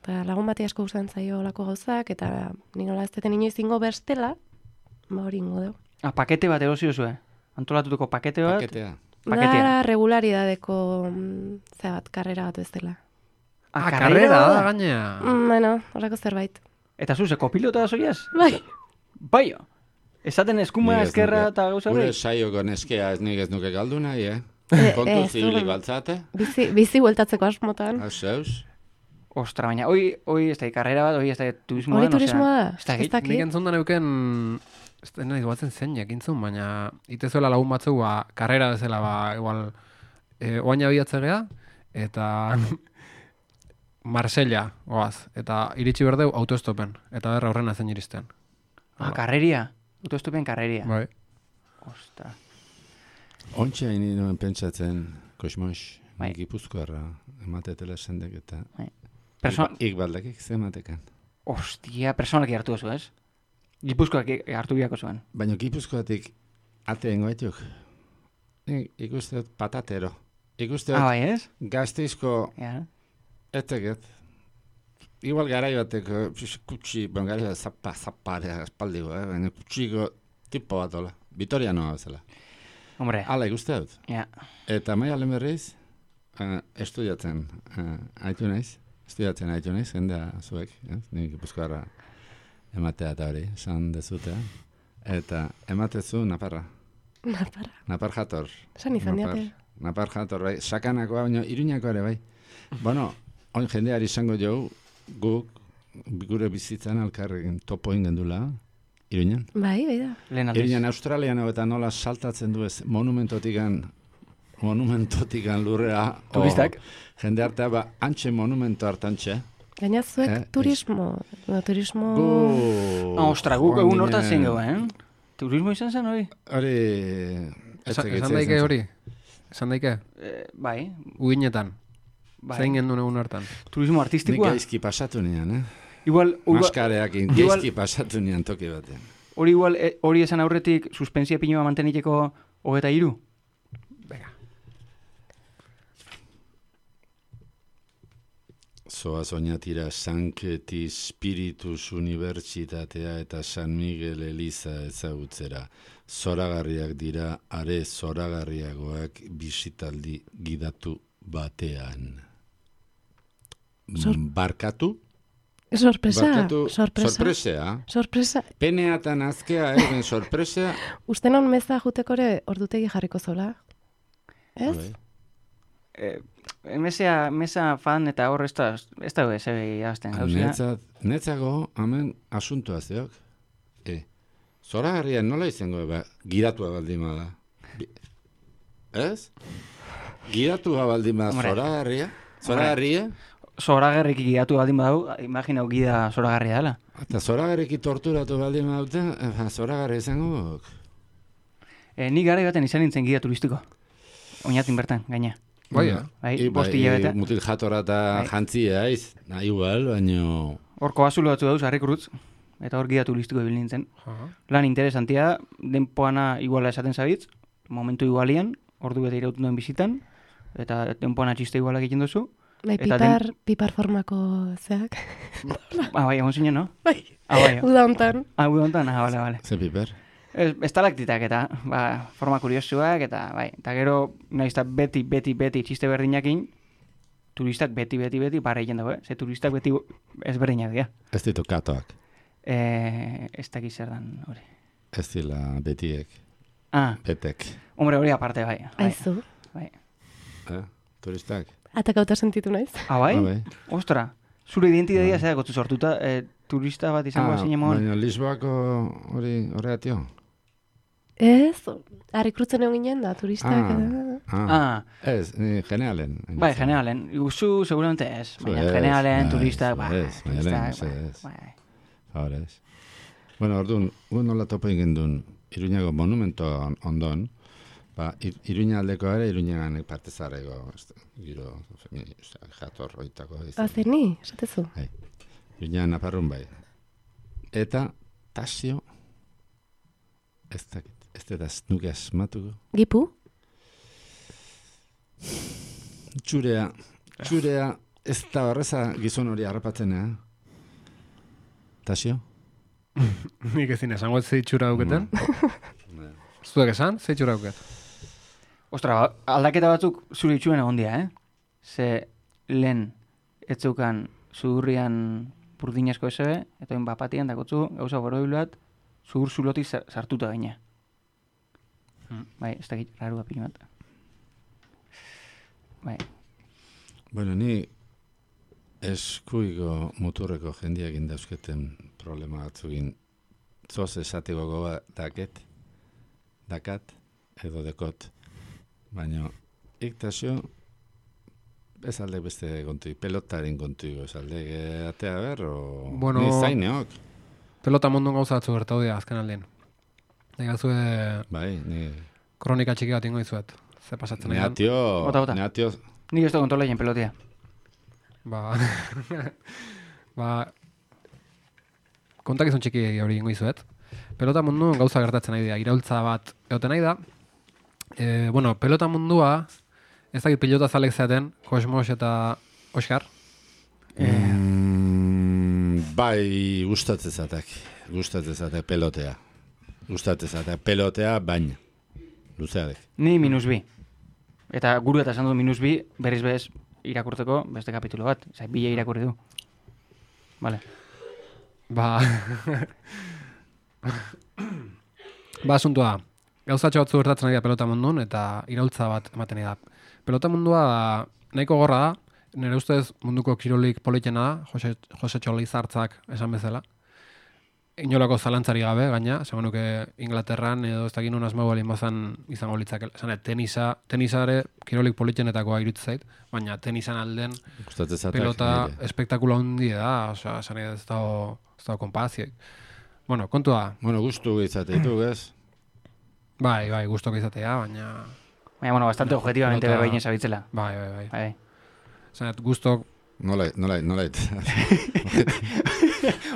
Eta lagun bati asko gustatzen zaio olako gauzak, eta ni nola ez deten inoiz ingo berstela, ba hori ingo deu. Ah, pakete bat erosi duzue. Antolatutako pakete bat. Paketea. Paketea. Da regularidadeko, mm, zera bat, karrera bat bezala. Ah, Ah, karrera karrera da, da. gainea. Mm, bueno, horrako zerbait. Eta zu, ze kopilota da zoiaz? Bai, Bai, esaten eskuma, Nik ez eskerra nuke- eta gauza Gure hori? saioko neskea ez nik ez nuke galdu nahi, eh? Eh, Kontu ez, zibili du- baltzate? bizi, bizi bueltatzeko asmotan. Hau zeus? Ostra, baina, hoi, hoi ez da karrera bat, hoi ez da turismoa. Hori turismoa da, Ez da, ez Nik dakit. entzun da neuken, ez da nahi duatzen zeinak entzun, baina itezuela lagun batzu, ba, karrera bezala, ba, igual, e, oain abiatze gea, eta Marsella, oaz, eta iritsi berdeu autostopen, eta berra horrena zen iristen. Ah, karreria. Autostopen karreria. Bai. Ostra. Ontsa ini nuen pentsatzen, kosmos, Bai. Nik Gipuzkoarra ematetela esendek eta Bai. Person... ik baldakik ze ematekan. Ostia, personalki hartu duzu, ez? Gipuzkoak hartu biako zuen. Baina Gipuzkoatik ateen goetuk. Nik ikuste dut patatero. Ikuste dut Ah, bai, ez? Gasteizko Ja. eteget. Igual garai bateko kutsi, bon garai bat zappa, zapparea espaldiko, eh? Baina kutsiko tipo bat hola. Vitorianoa bezala. Hombre, Hala ikuste dut. ja. Eta maia lehen berriz, uh, estudiatzen uh, haitu naiz. Estudiatzen haitu naiz, jendea zuek. Eh? Nik Gipuzkoarra ematea eta hori, esan dezutea. Eta ematezu Naparra. Naparra. Napar jator. Esan izan Napar, diate. Napar jator, bai. Sakanakoa, baina Iruñakoa ere, bai. Bueno, oin jendeari izango jo, guk gure bizitzan alkarrekin topo ingen dula, Iruñan. Bai, bai da. Lehen aldiz. Iruñan Australian hau eta nola saltatzen du ez monumentotikan monumentotikan lurrea. o Turistak. Jende artea, ba, antxe monumento hartantxe. Gaina zuek Eh, turismo, no, turismo... Gu... Ah, ostra, guk joan egun hortan ginen- zen eh? Turismo izan zen hori? Hori... Esan, etzek- esan etzek daike izan hori? Esan daike? Eh, bai, Uginetan. bai. Zein gendun egun hartan. Turismo Nik artistikoa? gaizki pasatu nian, eh? Igual, igual, Maskareakin igual- gaizki pasatu nian toki batean. hori igual, eh, hori esan aurretik suspensia pinoa manteniteko hogeta hiru? Zoaz oinatira Sanketi Spiritus Unibertsitatea eta San Miguel Eliza ezagutzera. Zoragarriak dira, are zoragarriagoak bisitaldi gidatu batean. Sor- Barkatu? Sorpresa, Barkatu, sorpresa. sorpresea. Sorpresa. Peneatan azkea, eh, sorpresea. Uste non meza juteko ere ordutegi jarriko zola. Ez? Bai. Eh, mesea, mesa fan eta hor ez da, ez da ez jazten. Netzat, netzago, hemen asuntoa zeok. E, zoragarrian nola izango, ba, gidatua baldin bada. Bi- Ez? Gidatua baldin bada Hombre. zoragarria? Zoragarria? Zoragarrik gidatu baldin badau, imaginau gida zoragarria dela. Eta zoragarriki torturatu baldin badute, eh, ba, zoragarria izango. E, ni gara baten izan nintzen gida turistiko. Oinatin bertan, gaina. Bai, eh? Bai, I, bost bai, hilabete. mutil jatora eta Bai. jantzia, aiz. Na, igual, baino... Horko bazulo batzu dauz, harrikurutz. Eta hor gida turistiko ibil nintzen. Aha. Lan interesantia, denpoana iguala esaten zabitz, momentu igualian, ordu bete irauten duen bizitan, eta denpoana txiste igualak egiten duzu. Bai, Eta pipar, pipar formako zeak. Ah, bai, egon zinen, no? Bai, Ah, bai, uda hontan. ah, gu hontan, ah, bale, bale. Ze piper? Ez, estalaktitak eta, ba, forma kuriosuak, eta, bai, eta gero, nahiz eta beti, beti, beti txiste berdinakin, turistak beti, beti, beti, barra egin dago, eh? Ze turistak beti ezberdinak dira. Ez ditu katoak. Eh, ez dakiz zer dan, hori. Ez dila betiek. Ah, Betek. hombre, hori aparte, bai. bai, Aizu. bai. Eh? Turistak. Atakauta sentitu naiz. Ah, bai? Ah, bai. Ostra, zure identitatea zera gotzu sortuta, eh, turista bat izango Ah, ah, mon. baina Lisboako hori horregatio? Ez, harrikrutzen egon ginen da, turistak. Ah. eta- Ah. Ah, Ez, ni generalen. bai, generalen. Guzu, seguramente ez. Baina ez, generalen, ez, turistak, bai. ez, baina turistak, lehen, bai, ez. bai. Favorez. Bueno, orduan, gu nola topo egin duen Iruñako monumento on- ondon, ba, Ir- Iruña aldeko ere, Iruñagan parte zarrego, giro, jator oitako. Ah, zer ni, esatezu. Iruña naparrun bai. Eta, tasio, ez dakit, ez da nuke asmatuko. Gipu? Txurea, txurea, ez da horreza gizon hori harrapatzen, eh? Tasio? Nik ezin esango ez zeitxura dauketen. Zuek esan, zeitxura dauket. Ostra, ba, aldaketa batzuk zure itxuen egon dira, eh? Ze lehen etzeukan sudurrian burdinazko esebe, eta oin bapatian dakotzu gauza borobiluat zudur zuloti sa- sartuta gaina. Hmm. Bai, ez dakit, raru apin bat. Bai, Bueno, ni eskuiko muturreko jendiak indauzketen problema batzugin zoz esateko goba daket, dakat, edo dekot. Baina, iktasio, ez alde beste kontu, pelotaren kontu, ez alde atea ber, o Bueno, ni zaineok. Pelota mondon gauza batzu gertau dira azken aldean. Egazue Bai, ni, kronika txiki bat ingo izuet. Ze pasatzen ni egan. atio, Bota, bota. ni atio Nik ez da kontrolaien pelotea. Ba, ba, kontakizun txiki hori ingo izuet. Pelota munduan gauza gertatzen nahi da, iraultza bat egoten nahi da. E, bueno, pelota mundua, ez dakit pilota zalek zaten, Kosmos eta Oskar. Mm, bai, gustatzezatek. Gustatzezatek pelotea. Gustatzezatek pelotea, baina. Luzeadek. Ni minus bi. Eta guru eta esan du minus bi, berriz bez irakurtzeko beste kapitulo bat. Zai, bila irakurri du. Vale. Ba, ba asuntua, gauzatxo batzu gertatzen ari da pelota munduan eta iraultza bat ematen ari da. Pelota mundua nahiko gorra da, nire ustez munduko kirolik politena da, Jose, Jose Txolizartzak esan bezala. Inolako zalantzari gabe, gaina, segun nuke Inglaterran edo ez dakit nun asmau balin bazan izango litzak. Esan, tenisa, tenisa ere kirolik politenetakoa irutz zait, baina tenisan alden pelota espektakula hundi da, osea, esan ez dago, ez dago konpazioik. Bueno, kontua. Bueno, gustu izate ditu, ez? Bai, bai, gustoko izatea, baina... Baina, bueno, bastante objetivamente pelota... berbainen zabitzela. Bai, bai, bai. Bai. Esan, gustok... Nola, nola, nola.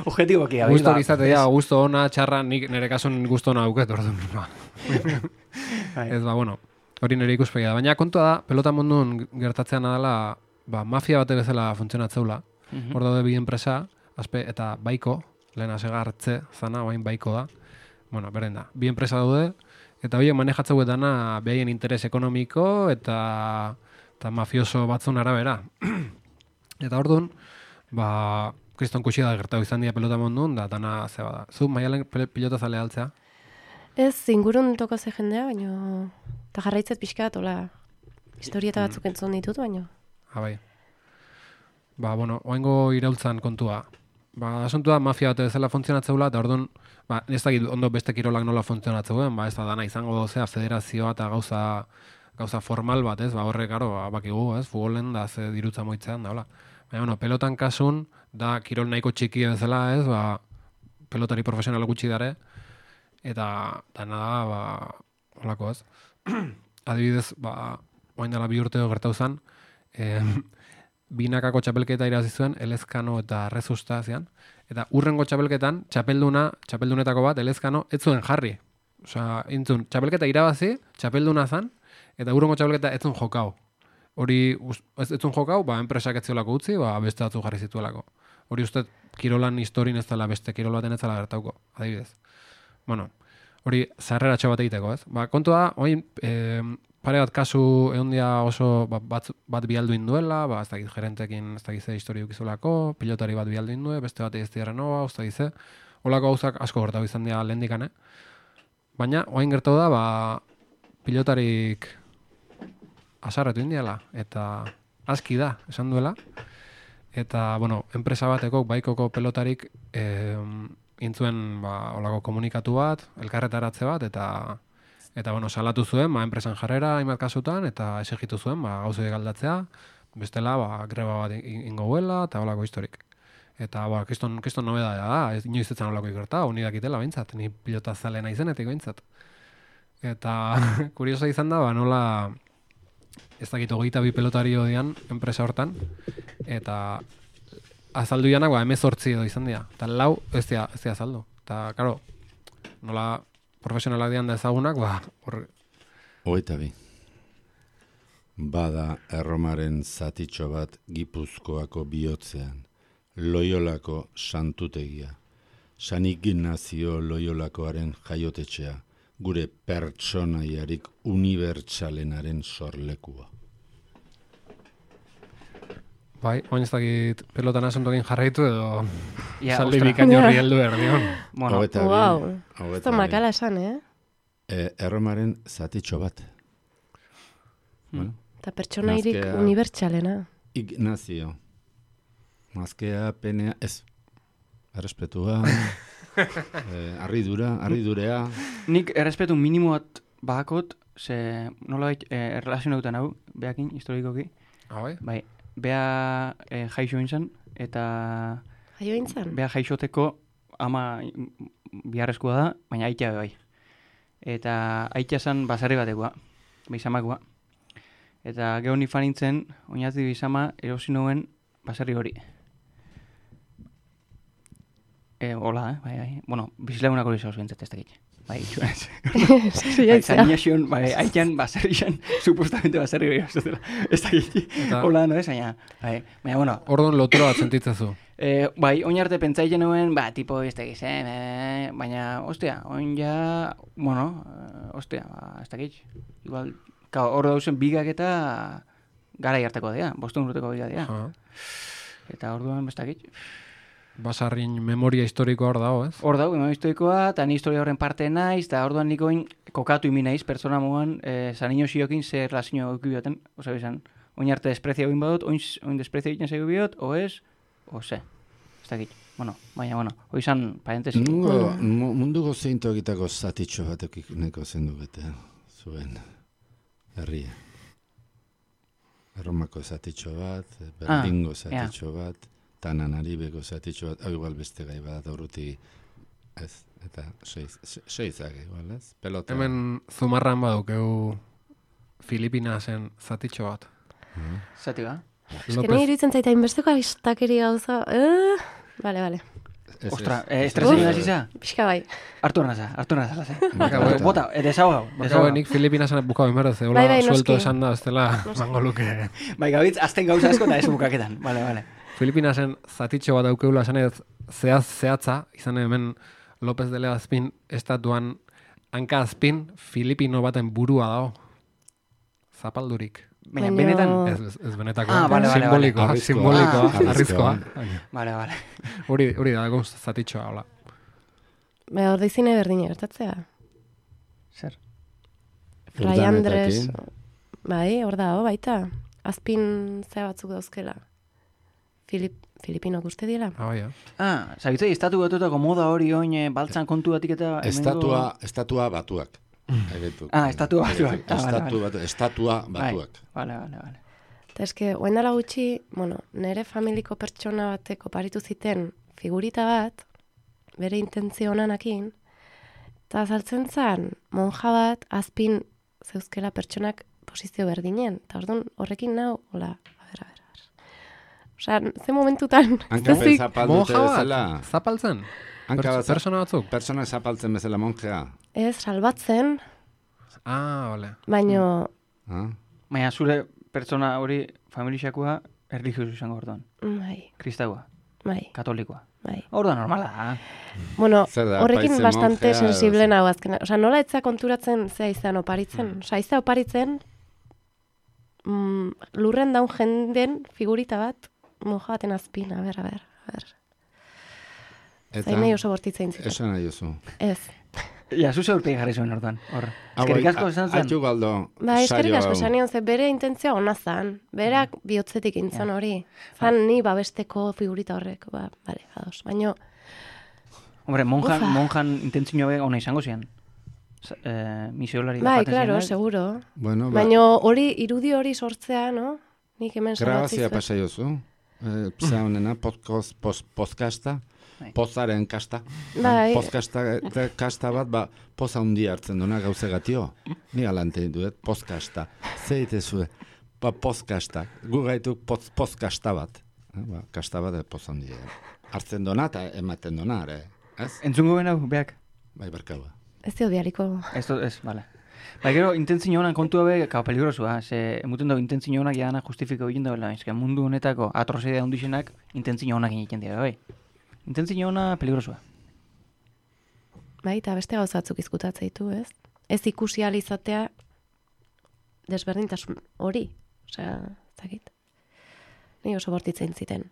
Objetiboki, abis. Gusto izatea, gusto ona, txarra, nik nire kasun gusto ona auket, orduan. Ez ba, bueno, hori nire ikuspegia da. Baina kontua da, pelota mundun gertatzean adala, ba, mafia bate bezala funtzionatzeula. Mhm. Hor daude bi enpresa, azpe, eta baiko, lehen asega hartze, zana, oain baiko da. Bueno, beren da, bi enpresa daude, eta horiek manejatzeu dana behaien interes ekonomiko eta, eta mafioso batzun arabera. Eta orduan, ba, kriston kuxi da gertatu izan dira pelota mundun, da dana zeba da. Zu, maialen pilota zale altzea? Ez, ingurun toko ze jendea, baina... Eta jarraitzet pixkat, hola, historieta batzuk entzun ditut, baina... Ah, bai. Ba, bueno, oaingo iraultzan kontua. Ba, asuntua mafia bat bezala funtzionatzeula, eta orduan, ba, ez dakit ondo beste kirolak nola funtzionatzeuen, ba, ez da dana izango dozea federazioa eta gauza, gauza formal bat, ez, ba, horre, karo, ba, bakigu, ez, futbolen da ze dirutza moitzean, da, hola. Baina, bueno, pelotan kasun, da kirol nahiko txiki bezala, ez, ba, pelotari profesional gutxi dare, eta dana da, ba, holako, ez. Adibidez, ba, oain dela bi urteo gertau zen, eh, binakako txapelketa irazi zuen, Elezkano eta Rezusta zian, eta urrengo txapelketan, txapelduna, txapeldunetako bat, Elezkano, ez zuen jarri. Osea, intzun, txapelketa irabazi, txapelduna zan, eta urrengo txapelketa ez zuen jokau. Hori, ez zuen jokau, ba, enpresak ez ziolako utzi, ba, beste batzu jarri zituelako. Hori uste, kirolan historin ez dela beste kirol baten ez dela gertauko, adibidez. Bueno, hori, zarreratxo bat egiteko, ez? Ba, kontu da, oin, e, pare bat kasu egon dia oso ba, bat, bat bialduin duela, ba, ez dakit gerentekin ez dakit ze histori dukizulako, pilotari bat bialduin due, beste bat ez dira noa, ez dakit ze, holako gauzak asko gertau izan dira lehendikane. Baina, oain gertau da, ba, pilotarik asarretu indiala, eta aski da, esan duela. Eta, bueno, enpresa bateko, baikoko pelotarik eh, intzuen ba, olako komunikatu bat, elkarretaratze bat, eta, eta bueno, salatu zuen, ba, enpresan jarrera, hainbat kasutan, eta esegitu zuen, ba, gauzoiek aldatzea, bestela, ba, greba bat ingo huela, eta olako historik. Eta, ba, kiston, kiston nobeda da, ez inoiz etzen olako ikerta, honi dakitela behintzat, ni pilota zale nahi zenetik behintzat. Eta, kuriosa izan da, ba, nola... ez dakit hogeita bi pelotari odian enpresa hortan, eta azaldu janak, ba, emezortzi edo izan dira. Eta lau, ez dira, ez dira azaldu. Eta, karo, nola profesionalak dian da ezagunak, ba, horre. Hogeita bi. Bada erromaren zatitxo bat Gipuzkoako bihotzean, Loiolako santutegia, San Ignazio Loiolakoaren jaiotetxea, gure pertsonaiarik unibertsalenaren sorlekua. Bai, oin ez dakit pelotan asuntokin jarraitu edo Ja, saldi ostra. bikaino horri heldu behar dion. Bueno, Hogeita bi, Wow, hogeita ez da bi. makala esan, eh? E, erromaren zatitxo bat. Bueno, Eta pertsonairik Nazkea. unibertsalena. Ignazio. Mazkea, penea, ez. Errespetua, eh, arridura, arridurea. nik errespetu minimo bat bakot, ze nolabait eh, erlazionautan hau, beakin, historikoki. Ah, bai? Bai, bea eh, jaixo inzan, eta Jaio intzan? bea jaixoteko ama biharrezkoa da, baina aitea be bai. Eta aitea zan basarri batekoa, beizamakoa. Eta gero ni fan nintzen, oinazdi bizama, erosi nuen baserri hori. E, hola, eh? Bai, bai. Bueno, bizilagunak hori zauz bintzat ez dakit. Bai, itxuanez. Zainiaxion, bai, haitan baserrian, supostamente baserri hori zutela. Ez dakit. Hola, no, ez aina. Bai, baina, bueno. Orduan lotura bat sentitzazu. Eh, bai, oin arte pentsaiten nuen, ba, tipo, ez dakit, eh, baina, ostia, oin ja, bueno, ostia, ba, ez dakit. Igual, hor dauzen bigak eta gara harteko dira, bostun urteko bigak dira. Eta orduan, ez dakit. Basarrin memoria historikoa hor dago, ez? Hor dago, memoria historikoa, eta ni historia horren parte naiz, eta orduan nikoin kokatu imi naiz, pertsona mugan, eh, zanino ziokin zer lazio eukio bioten, oza bizan, oin arte desprezia egin badut, oin, oin desprezia egiten zego biot, o ez, o ze. Ez dakit, bueno, baina, bueno, oizan parentesi. Munduko, munduko zeintokitako zatitxo batek neko zendu bete, zuen herria. Erromako zatitxo bat, Berdingo ah, zatitxo yeah. bat, Tanan Aribeko zatitxo bat, hau igual beste gai bat, aurruti, ez, eta seizak igual, ez? Pelota. Hemen zumarran badukeu Filipinasen zatitxo bat. Uh-huh. Zati ba? Ez que nahi iruditzen zaita inbesteko agistakeri gauza. Uh, vale, vale. Ostra, eh, estrezen da ziza? Pixka bai. Artu naza, artu naza, eh? Bota, desau gau. Baka nik Filipinasen bukau inberdo, zeula bai, bai, suelto esan da, ez dela mango luke. Bai, gabitz, azten gauza asko eta ez bukaketan. Vale, vale. Filipinasen zatitxo bat daukeula esan ez zehaz zehatza, izan hemen López de Legazpin estatuan hanka azpin Filipino baten burua dago. Zapaldurik. Baina, benetan? Ez, ez, ez benetako. Ah, vale, vale, simbolikoa, vale. simbolikoa, Ah, arrizkoa. Vale, vale. Hori, hori da, egon zatitxoa, hola. Ba, hor dizine berdine gertatzea. Zer? Rai Andres, bai, hor da, baita. Azpin zea batzuk dauzkela. Filip, Filipinok uste diela. Ah, ja. Ah, zabitzei, estatu batutako moda hori oin baltzan kontu batik eta... Estatua, estatua batuak. Egetuk. Ah, estatua batuak. Ah, estatua, vale, batu, estatua batuak. Vale, vale, vale. Eta eske, oen dela gutxi, bueno, nere familiko pertsona bateko paritu ziten figurita bat, bere intentzio onanakin, eta azaltzen zen, monja bat, azpin zeuzkela pertsonak posizio berdinen. Eta orduan horrekin nau, hola, a ber, a ber. Osea, ze momentutan... Hanka zapaldute bezala. Zapaltzen? Persona batzuk? Persona zapaltzen bezala monjea. Ez, salbatzen. Ah, vale. Baino... Ah. Baina zure pertsona hori familixakoa erlijiosu izango orduan. Bai. Kristaua. Bai. Katolikoa. Bai. Orduan normala da. Bueno, da, horrekin bastante monjea, sensible nago azkena. Osea, nola etza konturatzen zea izan oparitzen. Mm. Osea, izan oparitzen mm, lurren daun jenden figurita bat monja baten azpin, a ber, a ber, a ber. Zain nahi oso bortitzen zitzen. Esan nahi oso. Ez. Ja, zuze urpegi jarri zuen orduan. Hor. Eskerik asko esan zen. Aitu galdo. Ba, eskerik asko esan nion, ze bere intentzia ona zan. Berak bihotzetik intzan hori. Zan ni babesteko figurita horrek. Ba, bale, ados. Baina... Hombre, monjan, monjan intentzioa be ona izango zian. Eh, misiolari bai, claro, seguro. Bueno, ba... Baina hori, irudi hori sortzea, no? Nik hemen grabazia pasaiozu. Eh, Psa honena, podcasta. Pozaren kasta. Bai. Pozkasta kasta bat, ba, poza hundi hartzen duna gauze gatio. Ni alante duet, pozkasta. Zeitezue, ba, pozkasta. Gu gaituk poz, pozkasta bat. Eh, ba, kasta bat, poza hundi. Hartzen duna eta ematen duna, ere. Ez? Entzungo ben hau, beak? Bai, barkaua. Ez dio bialiko. Ez, ez, bale. Ba, gero, intentzio honan kontua be, kao peligrosua. Ze, emuten dago, intentzio honak jadana justifiko egin dagoela. Ez mundu honetako atrozidea hundixenak intentzio honak egiten dira, bai. Intentzio hona peligrosua. Bai, eta beste gauzatzuk izkutatzen ditu, ez? Ez ikusi ahal izatea desberdintasun hori. Osea, zakit. Ni oso bortitzen ziten.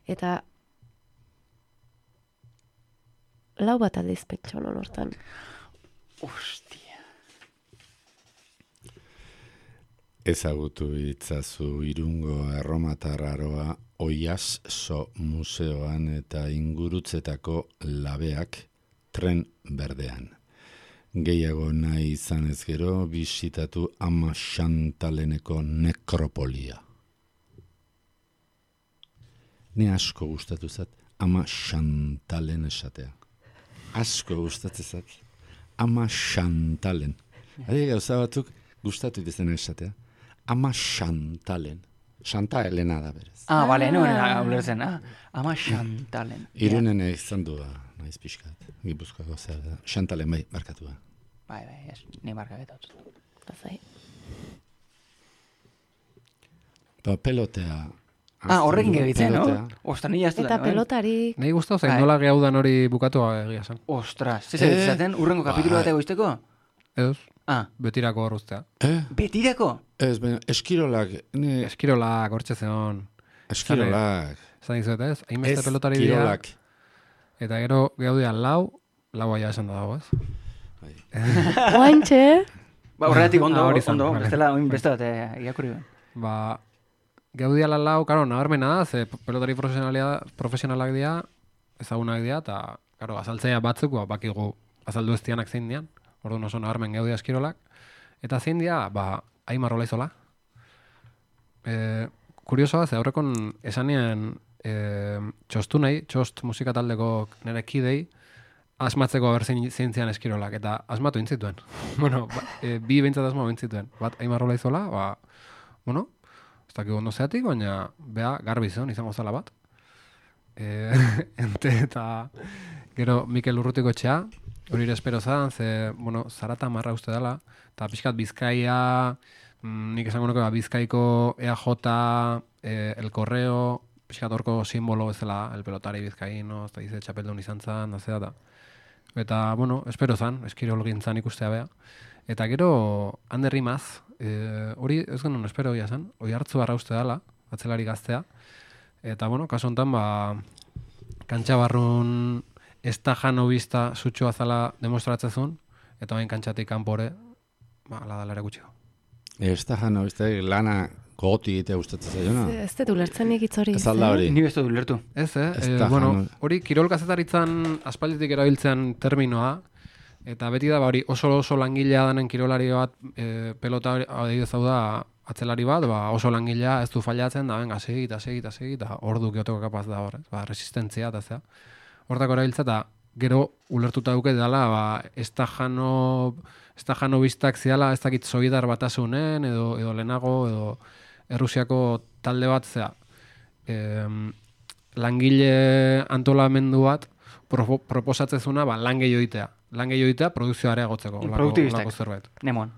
Eta lau bat aldiz pentsa honon hortan. Ostia. Ezagutu itzazu Irungo erromatar aroa Oiaso museoan eta ingurutzetako labeak tren berdean. Gehiago nahi izan ez gero bisitatu Ama Xantaleneko nekropolia. Ni asko gustatu zat Ama Xantalen esatea. Asko gustatu zat Ama Xantalen. Adi gauza batzuk gustatu izan esatea. Ama Xantalen. Xanta Elena da berez. Ah, bale, nuen ulertzen, ah, ama Xantalen. Irunen izan du, naiz pixkat, Gipuzkoako zer da. Xantalen bai, markatu da. Bai, bai, ez, ni marka beta dut. Bazai. Ba, pelotea. Ah, horrekin gebitzen, no? Pelotea. Ostra, ni jaztu Eta pelotari... Nahi guztau zain Bai. nola gehaudan hori bukatua egia zen. Ostras, zezak Eh, izaten, urrengo kapitulu bai. bat egoizteko? Ez, Ah, betirako horruztea. Eh? betirako? Ez, baina, eskirolak, ne, Eskirolak, hortxe zeon. eskirolak. Zan dizuet ez? Hainbeste Ez, pelotari dira. kirolak. Eta gero gehaudia lau, lau aia esan da dago, ez? Oantxe, Ba, horregatik ondo, Ah, hori zen, ondo, vale. bestela, oin beste bat, eh, irakurri ben. Ba, gehaudia la lau, karo, nabarmena da, ze pelotari profesionalia- profesionalak dira, ezagunak dira, eta, karo, azaltzea batzuk, ba, bakigu azaldu ez dianak zein dian, orduan oso nabarmen gehaudia eskirolak, eta zein dira, ba, Aimar Olaizola. E, kuriosoa, ze aurrekon esanean e, txostu nahi, txost musika taldeko nire kidei, asmatzeko haber zein, zein zian eskirolak, eta asmatu intzituen. bueno, ba, e, bi behintzat asmatu intzituen. Bat, Aimar Olaizola, ba, bueno, ez dakik ondo zeatik, baina, bea, garbi zeon, izango zala bat. E, ente eta gero Mikel Urrutiko etxea, hori ere espero zan, ze, bueno, Zarata marra uste dela, eta pixkat Bizkaia, mm, nik esango nuke ba, Bizkaiko E A J, e, El Correo, pixkat horko simbolo bezala, el pelotari bizkaino, ez da dize txapeldun izan zan, da zera da. Eta, bueno, espero zan, eskirol gintzan ikustea bea. Eta gero, Ander Rimaz, e, hori ez genuen espero ia zan, hori hartzu barra uste dela, atzelari gaztea. Eta, bueno, kasu honetan, ba, kantxa barrun ez da jano bizta sutxua zala demostratzezun, eta bain kantxatik kanpore, ba, ala dala ere gutxiko. Ez da jano, beste, lana gogoti egitea gustatzen zaiona. ez dut ulertzenik hitz hori. Ez alda eh? hori. Ni bestu du lertu. Ez, eh? Ez Eh, da bueno, jano. hori kirol kazetaritzan aspalditik erabiltzean terminoa, eta beti da, ba, hori oso oso langilea danen kirolari bat, e, pelota adibidez hau da, atzelari bat, ba, oso langilea ez du fallatzen, da, venga, segi, eta segi, eta segi, eta ordu geoteko kapaz da hor, ez? Ba, resistentzia, eta zea. Hortako erabiltza, eta gero ulertuta duke dela, ba, ez da jano, ez da jano biztak ziala, ez dakit Sobietar batasunen, edo, edo lehenago, edo Errusiako talde bat, zea, em, langile antolamendu bat pro, proposatzezuna ba, lan gehiago egitea. Lan gehiago egitea produzioa areagotzeko. olako- Produktibistak. olako zerbait. Nemon.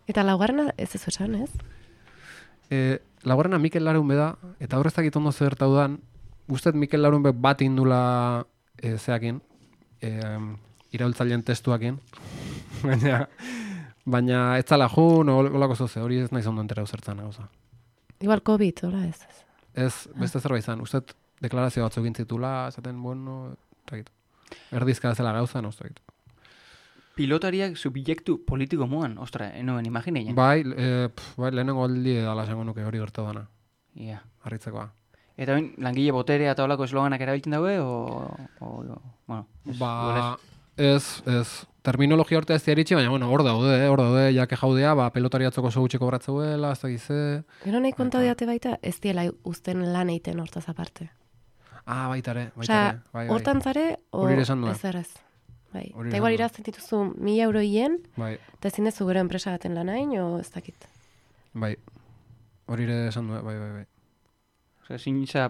Eta laugarrena ez ez esan, ez? E, laugarrena Mikel Larunbe da, eta horrezak itondo zertau dan, guztet Mikel Larunbe bat indula e, zeakin, e, iraultzaileen testuakin, baina, baina ez zala jun, olako zoze, hori ez nahi zondo entera zertzen gauza. Igual COVID, hola ez. Ez, beste zerbait izan, ustet deklarazio batzuk intzitula, esaten, bueno, ez dakit. Erdizka zela gauza, no, ez dakit. Pilotariak subjektu politiko moan, ostra, enoen imagineien. Bai, e, pf, bai, lehenengo aldi dala esango nuke hori gertu dana, Ia. harritzekoa. Eta oin, langile boterea eta holako esloganak erabiltzen daue, o... o, o bueno, ez, Ba, ez, ez, terminologia hortea ez diaritxe, baina, bueno, hor daude, eh, hor daude, jake jaudea, ba, pelotariatzoko oso gutxiko bratzeuela, ez da gize. Gero nahi konta diate baita, ez diela uzten lan eiten hortaz aparte. Ah, baitare, baitare, Osea, bai, bai. hortan zare, o Hori ere esan nuen. ez errez. Bai. Hori Eta esan igual nuen. irazten dituzu mila euro hien, Bai, eta ezin dezu gero enpresa baten lanain, o ez dakit. bai. Hori ere esan du, bai, bai, bai. Osea, zinitza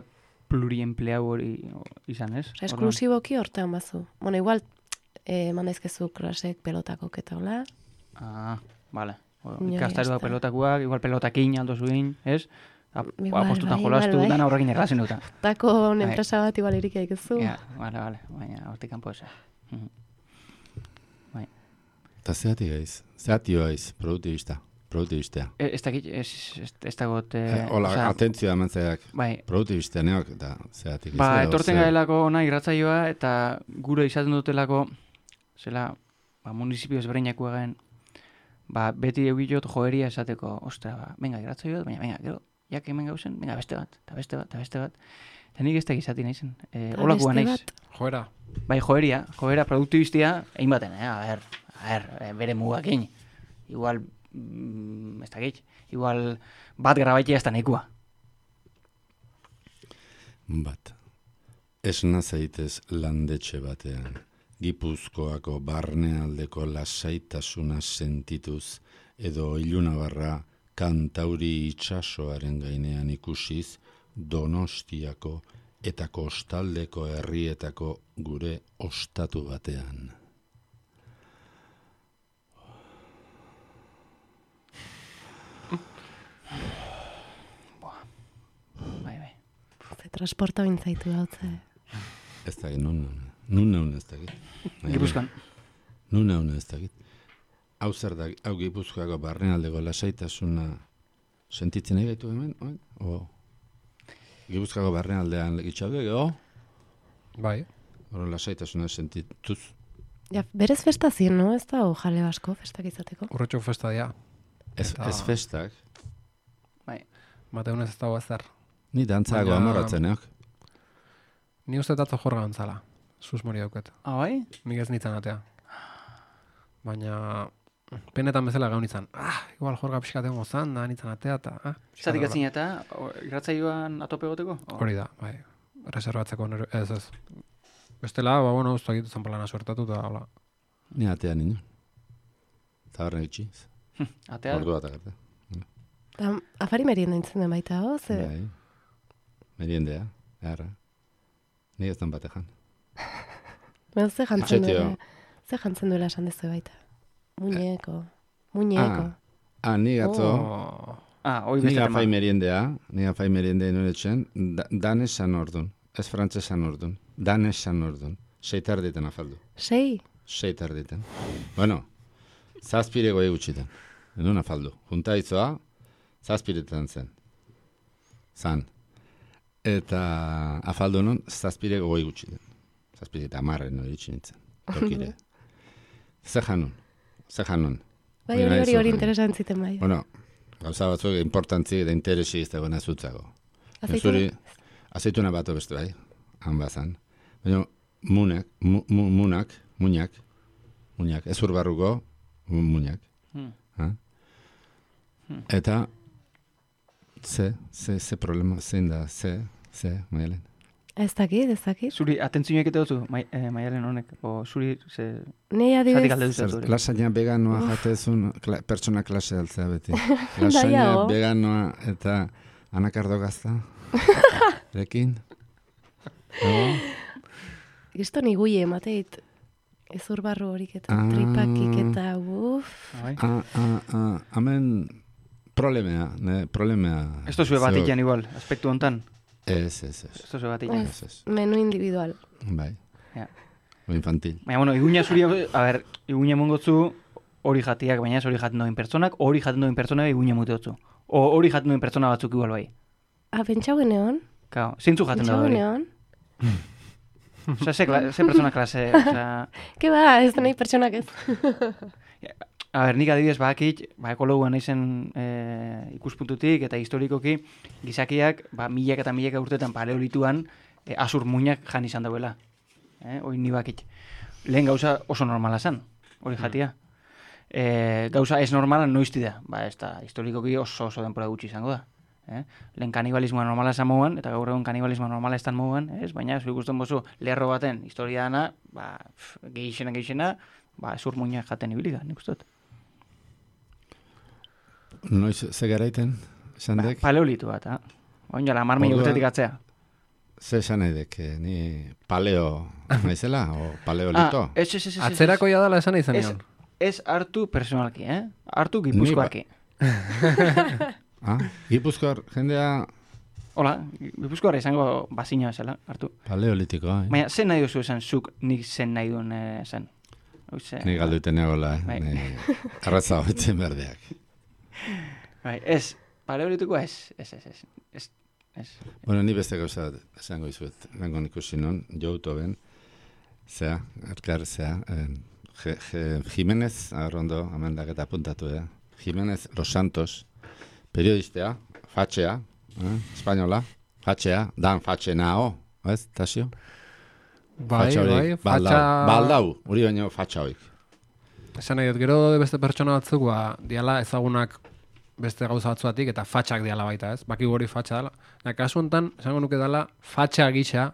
pluriempleau hori o, izan, ez? Osea, esklusiboki hortean bazu. Bueno, igual, eh, mandaizkezu klasek pelotakok eta hola. Ah, vale. O, Ja, ikastaroak ya está. pelotakoak, igual pelotakin aldo zuin, ez? Igual, Apostutan bai, jolastu, igual, bai. dana horrekin erlazien duta. Tako Bai. enpresa bat igual irik daikezu. Ja, vale, vale, baina hortik kanpo eza. Mhm. Eta zeatik gaiz, zeatio gaiz, produktibista, produktibistea. E, ez dakit, ez, ez, ez dagot... Eh, Hola, osea, atentzioa eman zeak, bai, produktibistea neok, eta zeatik gaiz. ba, edo etorten zer. garelako ona irratzaioa, eta gure izaten dutelako, zela, ba, municipio ezberdinako egin, ba, beti eugilot joeria esateko, ostra, ba, venga, irratzaioa, baina, venga, gero, jak hemen gauzen, venga, beste bat, eta beste bat, eta beste bat. Eta nik ez da gizati naizen, e, Eta holakua beste naiz. bat, Joera. Bai, joeria, joera produktibistia, egin baten, eh? A ber, a ber, eh, bere mugakin. Igual, mm, ez dakit, igual bat grabaitea ez da nahikoa. Bat. Esna zaitez landetxe batean, Gipuzkoako barnealdeko lasaitasuna sentituz, edo ilunabarra Kantauri itsasoaren gainean ikusiz Donostiako eta kostaldeko herrietako gure ostatu batean. Bai, bai. Ze transporta bintzaitu gautze. Ez da, nun nun. Nun nun ez dakit. Gipuzkoan. Nun nun ez dakit. Hau zer da, hau Gipuzkoako barnealdeko lasaitasuna sentitzen nahi gaitu hemen? Oin? O, Gipuzkoako barnealdean legitxaude, o? Bai. Hora lasaitasuna sentituz. Ja, berez festa zien, no? Ez da, o jale basko festak izateko. Urretxo festa dia. Ez, Eta- ez festak. Bai. Mateunez ez dago ezer. Ni dantzago Baina- amorratzenak. Ni uste tatzo jorga gantzala. Sus mori dauket. Ah, bai? Nik ez nintzen atea. Baina penetan bezala gaun izan. Ah, igual jorga pixkaten gozan, da nintzen atea, eta... Ah, Zatik atzin eta irratzaioan atope goteko? Hori da, bai. Reservatzeko nero, ez ez. Bestela, ba, bueno, ustu egitu zanpalana suertatu, eta hola. Ni atea nino. Eta horren itxi. Atea? Ordu bat agarte. Da, afari merienda intzen den baita, ho? Ze... Bai. Meriendea, erra. Ni ez dan batejan. Baina ze jantzen Etxetio. duela, ze jantzen duela esan dezu baita. Muñeko, muñeko. Ah, ah, ni gatzo, Oh, Ah, hoi ni beste tema. gafai meriendea, ni gafai meriendea noretzen, da, danesan ordun, ez frantzesan ordun, danesan ordun, seitar diten afaldu, Sei? seitar diten. Bueno, zazpire goi gutxiten, edun afaldu. Junta izoa, zazpiretan zen, zan. Eta afaldu non, zazpire goi gutxiten. Zazpire eta amarren hori nintzen, tokire. Ze janun, ze janun. Bai, Hori hori nahi hori hori zuen. interesan ziten bai. Bueno, gauza batzuk importantzi eta interesi ez dagoena zutzago. Azeituna? Zuri, azeituna bat beste bai, han bazan. Baina munak, mu, mu, munak, muñak, muñak, ez urbarruko, mu- muñak. Hmm. Ha? Eta, ze, ze, ze problema, zein da, ze, ze, maialen. Ez dakit, ez dakit. Zuri atentzioek eta duzu, mai, eh, maialen honek, o zuri, ze... Nei Zatik adibidez, alde Zer, duzu. lasaña veganoa jatezun, kla, pertsona klase altzea beti. Lasaña Nahiago. veganoa eta anakardo gazta. Rekin. No? Gisto ni guie emateit. Ez urbarru horik eta Ah. tripakik eta uf. Bai. Ah, ah, ah, hemen problemea, ne, problemea. Ez tozue bat Zeok. ikan igual, aspektu hontan. Ez, ez, ez. Ez tozue bat ikan. Ez, ez. Menu individual. Bai. Ja. O infantil. Baina, bueno, iguina zuri, a ber, iguina mongotzu hori jatiak, baina ez hori jaten doin pertsonak, hori jaten doin pertsonak iguina muteotzu. O hori jaten doin pertsona batzuk igual bai. Ah, pentsau geneon? Kao, zeintzu jaten da Pentsau hori. geneon? Osa, ze, kla- ze pertsona klase, osa... Ke ba, ez da nahi pertsonak ez. A ber, nik adibidez bakit, ba, ekologoa naizen e, ikuspuntutik eta historikoki, gizakiak, ba, milak eta milaka urtetan paleolituan, e, azur muinak jan izan dauela. Eh? Hoi ni bakit. Lehen gauza oso normala zen, hori jatia. E, gauza ez normala noizti da, ba, ez da, historikoki oso oso denpora gutxi izango da. Eh? Lehen kanibalismoa normala esan moguan, eta gaur egun kanibalismoa normala estan moguan, ez? Baina, zu ikusten bozu, lerro baten historia dana, ba, pff, gehixena, gehixena, ba, ezur muinak jaten ibilika, nik uste dut. Noiz, ze garaiten, Ba, sandek? paleolitu bat, ha? Oin jala, mar mila Orduan- urtetik atzea. Ze esan nahi dek, eh, ni paleo naizela, o paleolito? Ah, ez, ez, ez, ez, ez. Atzerako ja dela esan izan Ez, nion. ez hartu personalki, eh? Hartu gipuzkoaki. Ah, Gipuzkoar jendea Hola, gipuzkoara izango bazina bezala, hartu. paleolitikoa, eh? Baina, zen nahi duzu esan zuk nik zen nahi duen eh, zen? Oize, Ni galduiten egola, eh? Bai. Ni arratza hoitzen berdeak. bai, ez, paleolituko ez, ez, ez, ez, ez, ez. Bueno, ni beste gauza bat esango izuet, lengon ikusi non, jouto ben, zea, erkar zea, eh, Je- Je- Jimenez, arrondo, amendak eta apuntatu da, Jimenez Los Santos, periodistea, fatxea, eh, espainola, fatxea, dan fatxena, ho, ez, Tasio? Bai, Fatxa bai, horiek, fatxa... baldau, baldau, hori baino fatxa hoik. Esan nahi dut, gero beste pertsona batzuk, ba, diala ezagunak beste gauza batzuatik, eta fatxak diala baita, ez? Baki hori fatxa dela. Ja, kasu honetan, esango nuke dela, fatxa gisa,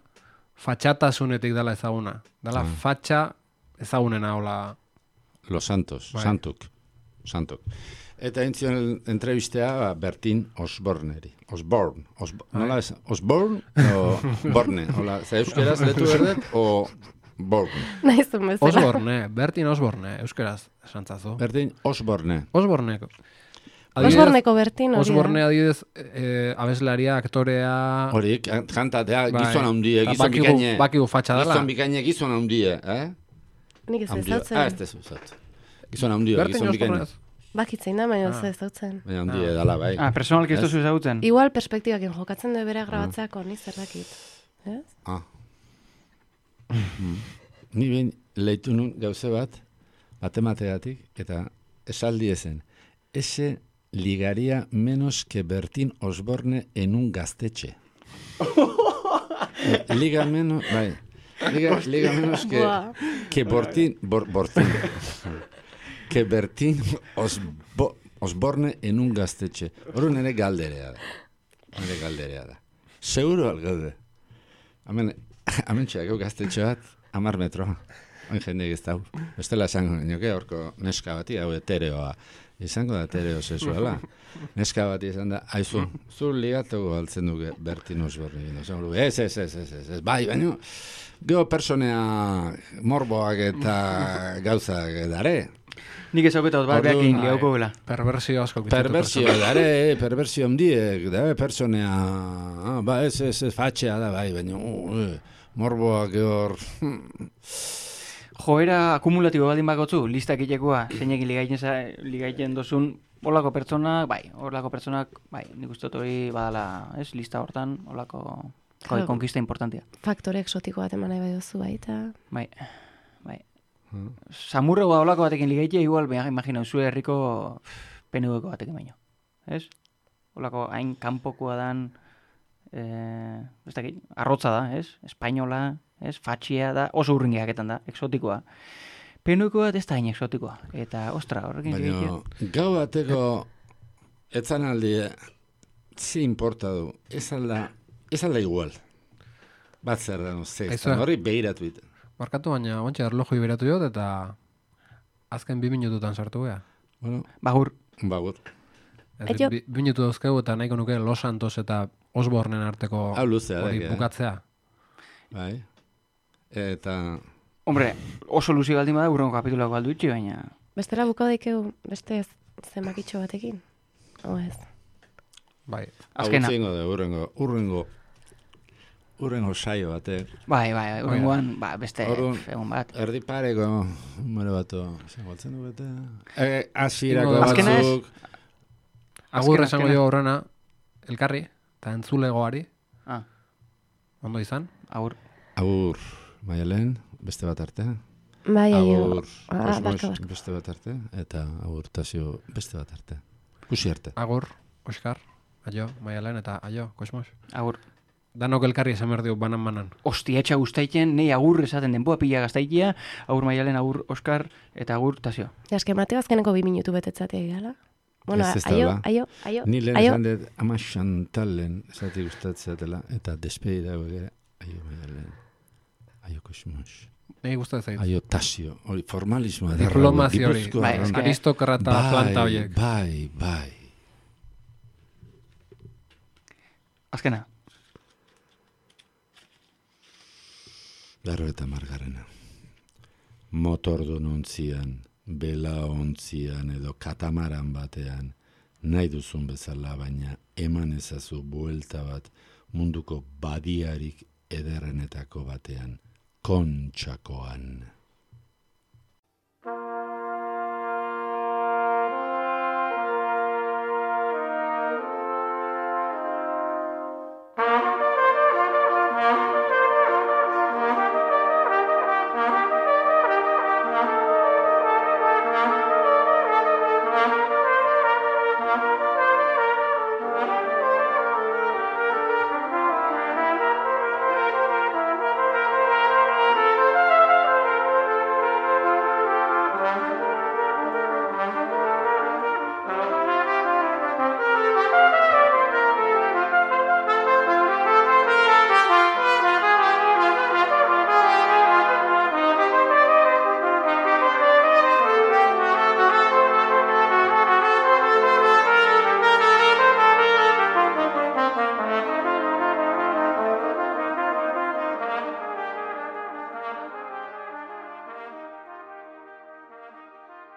fatxatasunetik dela ezaguna. Dela Ah. fatxa ezagunena, hola... Los Santos, Bai. Santuk, Santuk. Eta entzion entrevistea ba, Bertin Osborneri. Osborne. Osbo, nola ez? Osborne o Borne? Hola, ze euskeraz letu berdet o Borne? Naizun bezala. Osborne, Bertin Osborne, euskeraz esantzazu. Bertin Osborne. Osborne. Osborneko Bertin hori da. Osborne adibidez, eh, abeslaria, aktorea... Hori, kantatea, bai, gizon handie, eta gizon bakigu- bikaine. bakigu fatxa dela. Gizon bikaine, gizon handie, eh? Nik ez Handia. ezautzen. Ah, ez tezu, zautzen. Gizon handia, Bertin gizon bikaine. Osborne. Bakitzein da, baina Ah. ez ezautzen. Baina handie dala, bai. Ah, personalki ez Ez? duzu ezagutzen? Igual perspektibakin jokatzen du bere grabatzeak honi zer dakit. Ez? Ah. Mm. Ni behin leitu nun gauze bat, matemategatik, eta esaldi ezen. Ese ligaría menos que Bertin Osborne en un gaztetxe. Eh, liga menos, bai. Liga, liga menos que, Buah. que Bortin, bor, Bortin. que Bertin Osbo, Osborne en un gaztetxe. Hor nire galderea da. Nire galderea da. Seguro algaude. Hemen, hemen txeak gaztetxe bat, amar metro. Hain jende ez dau. Bestela esango nioke, horko neska bati, hau etereoa. Izango da etereo sexuala. Neska bati izan da, aizu, zu ligatuko altzen duke Bertin Osborne. Ez, ez, ez, ez, ez, ez, bai, baina, geho personea morboak eta gauzak dare. Nik ezagutot bat Orduan, behakin bai. liauko gela. Perversio asko. Perversio dare, perversio handiek, da, personea, ah, ba, ez, ez, ez, fatxea da, bai, baina, uh, eh, morboak hor... Joera akumulatibo baldin bakotzu, listak itekoa, zeinekin ligaiten, za- ligaiten dozun, holako pertsonak, bai, holako pertsonak, bai, nik uste dut hori badala, ez, lista hortan, holako joi, Claro. konkista importantia. Faktore exotiko bat eman nahi bai duzu baita. Bai, bai. Samurrego holako batekin ligaitea, igual, beha, imagina, zure herriko penueko batekin baino, ez? Holako hain kanpokoa dan, eh, ez dakit, arrotza da, ez? Espainola, ez? Fatxia da, oso urringeaketan da, exotikoa. Penueko bat ez da hain exotikoa. Eta, ostra, horrekin ligaitea. Baina, gau bateko etzan aldi, zi importa du, ez alda, ez alda igual. Bat zer da, no, ze, Aizu. horri behiratu biten. Barkatu baina, ontsa erloju iberatu jot, eta azken bi minututan sartu gea. Bueno, Bagur, bagur. Ez, Aio. bi, bi minutu dauzkegu eta nahiko nuke Los Santos eta Osbornen arteko Hau luzea da, hori eh? bukatzea. Bai. Eta, hombre, oso luzi baldin bada, urrengo kapitulako aldu itxi, baina... Bestela bukau daikeu beste ez- zenbakitxo batekin. O ez. Bai. Azkena. hau zingo da, urrengo, urrengo, urrengo saio batek. Bai, bai, urrengoan, ba, beste Orduan, egun bat. Erdi pareko, numero batu, izango altzen du bete. E, asirako Ingo- Azkena ez? batzuk, Agur Azkena, esango azkena. jo aurrena, elkarri, eta entzulegoari, Ah, ondo izan. agur. agur, Maialen, beste bat arte. Bai, aio. Agur, Ah, Kosmos, barka, barka. beste bat arte. Eta agur, Tasio, beste bat arte. Kusi arte. Agur, Oskar, aio, Maialen eta aio, Kosmos. Agur. Danok elkarri esan behar dio banan-banan. Ostia, etxa guztaiten, nei agur esaten denboa pila gaztaitia, agur Maialen, agur Oskar, eta agur Tasio. Ja, eske Mateo azkeneko bi minutu betetzatea gala. Bueno, Ez ez da aio, ba. aio, aio, Ni lehen aio. esan dut, ama Xantalen, esati gustatzeatela, eta despedida ere, aio Maialen, aio Kosmos, Nei gustatzen zait. aio Tasio, hori formalismoa. Diplomazio hori. Gipuzkoa Bai, arraun. eske- Aristokrata planta horiek. Bai, bai. Azkena. Berro eta margarena. Motordun ontzian, bela ontzian edo katamaran batean, nahi duzun bezala, baina eman ezazu buelta bat munduko badiarik ederrenetako batean, Kontxakoan.